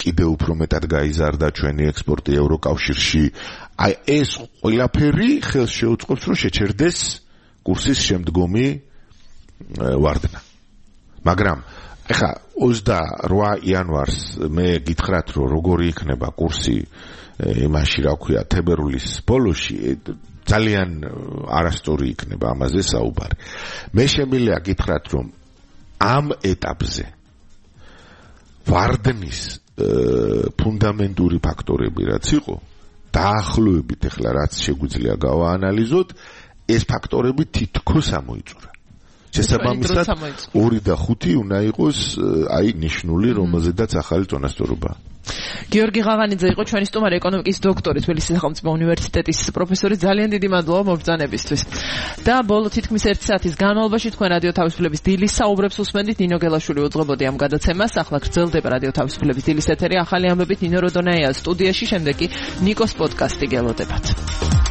კიდევ უფრო მეტად გაიზარდა ჩვენი ექსპორტი ევროკავშირში. აი ეს ყველაფერი ხელს შეუწყობს რომ შეჩერდეს კურსის შემდგომი ვარდნა. მაგრამ ეხა ოცდაორ იანვარს მე გითხრათ რომ როგორი იქნება კურსი იმაში რა ქვია თებერვლის ბოლოში ძალიან არასწორი იქნება ამაზე საუბარი. მე შემიძლია გითხრათ, რომ ამ ეტაპზე ვარდნის ფუნდამენტური ფაქტორები რაც იყო, დაახლოებით ახლა რაც შეგვიძლია გავაანალიზოთ, ეს ფაქტორები თითქოს ამოიწურა. შესაბამისად ორი და ხუთი უნდა იყოს აი ნიშნული, რომელზედაც ახალი წონასწორობაა. გიორგი ღაღანიძე იყო ჩვენი სტუმარი, ეკონომიკის დოქტორი, თბილისის სახელმწიფო უნივერსიტეტის პროფესორი. ძალიან დიდი მადლობა მობრძანებისთვის. და ბოლო თითქმის ერთი საათის განმავლობაში თქვენ რადიო თავისუფლების დილის საუბრებს უსმენდით. ნინო გელაშვილი უძღვებოდი ამ გადაცემას. ახლა გრძელდება რადიო თავისუფლების დილის ეთერი ახალი ამბებით. ნინო როდონაია სტუდიაში, შემდეგ კი ნიკოს პოდკასტი გელოდებათ.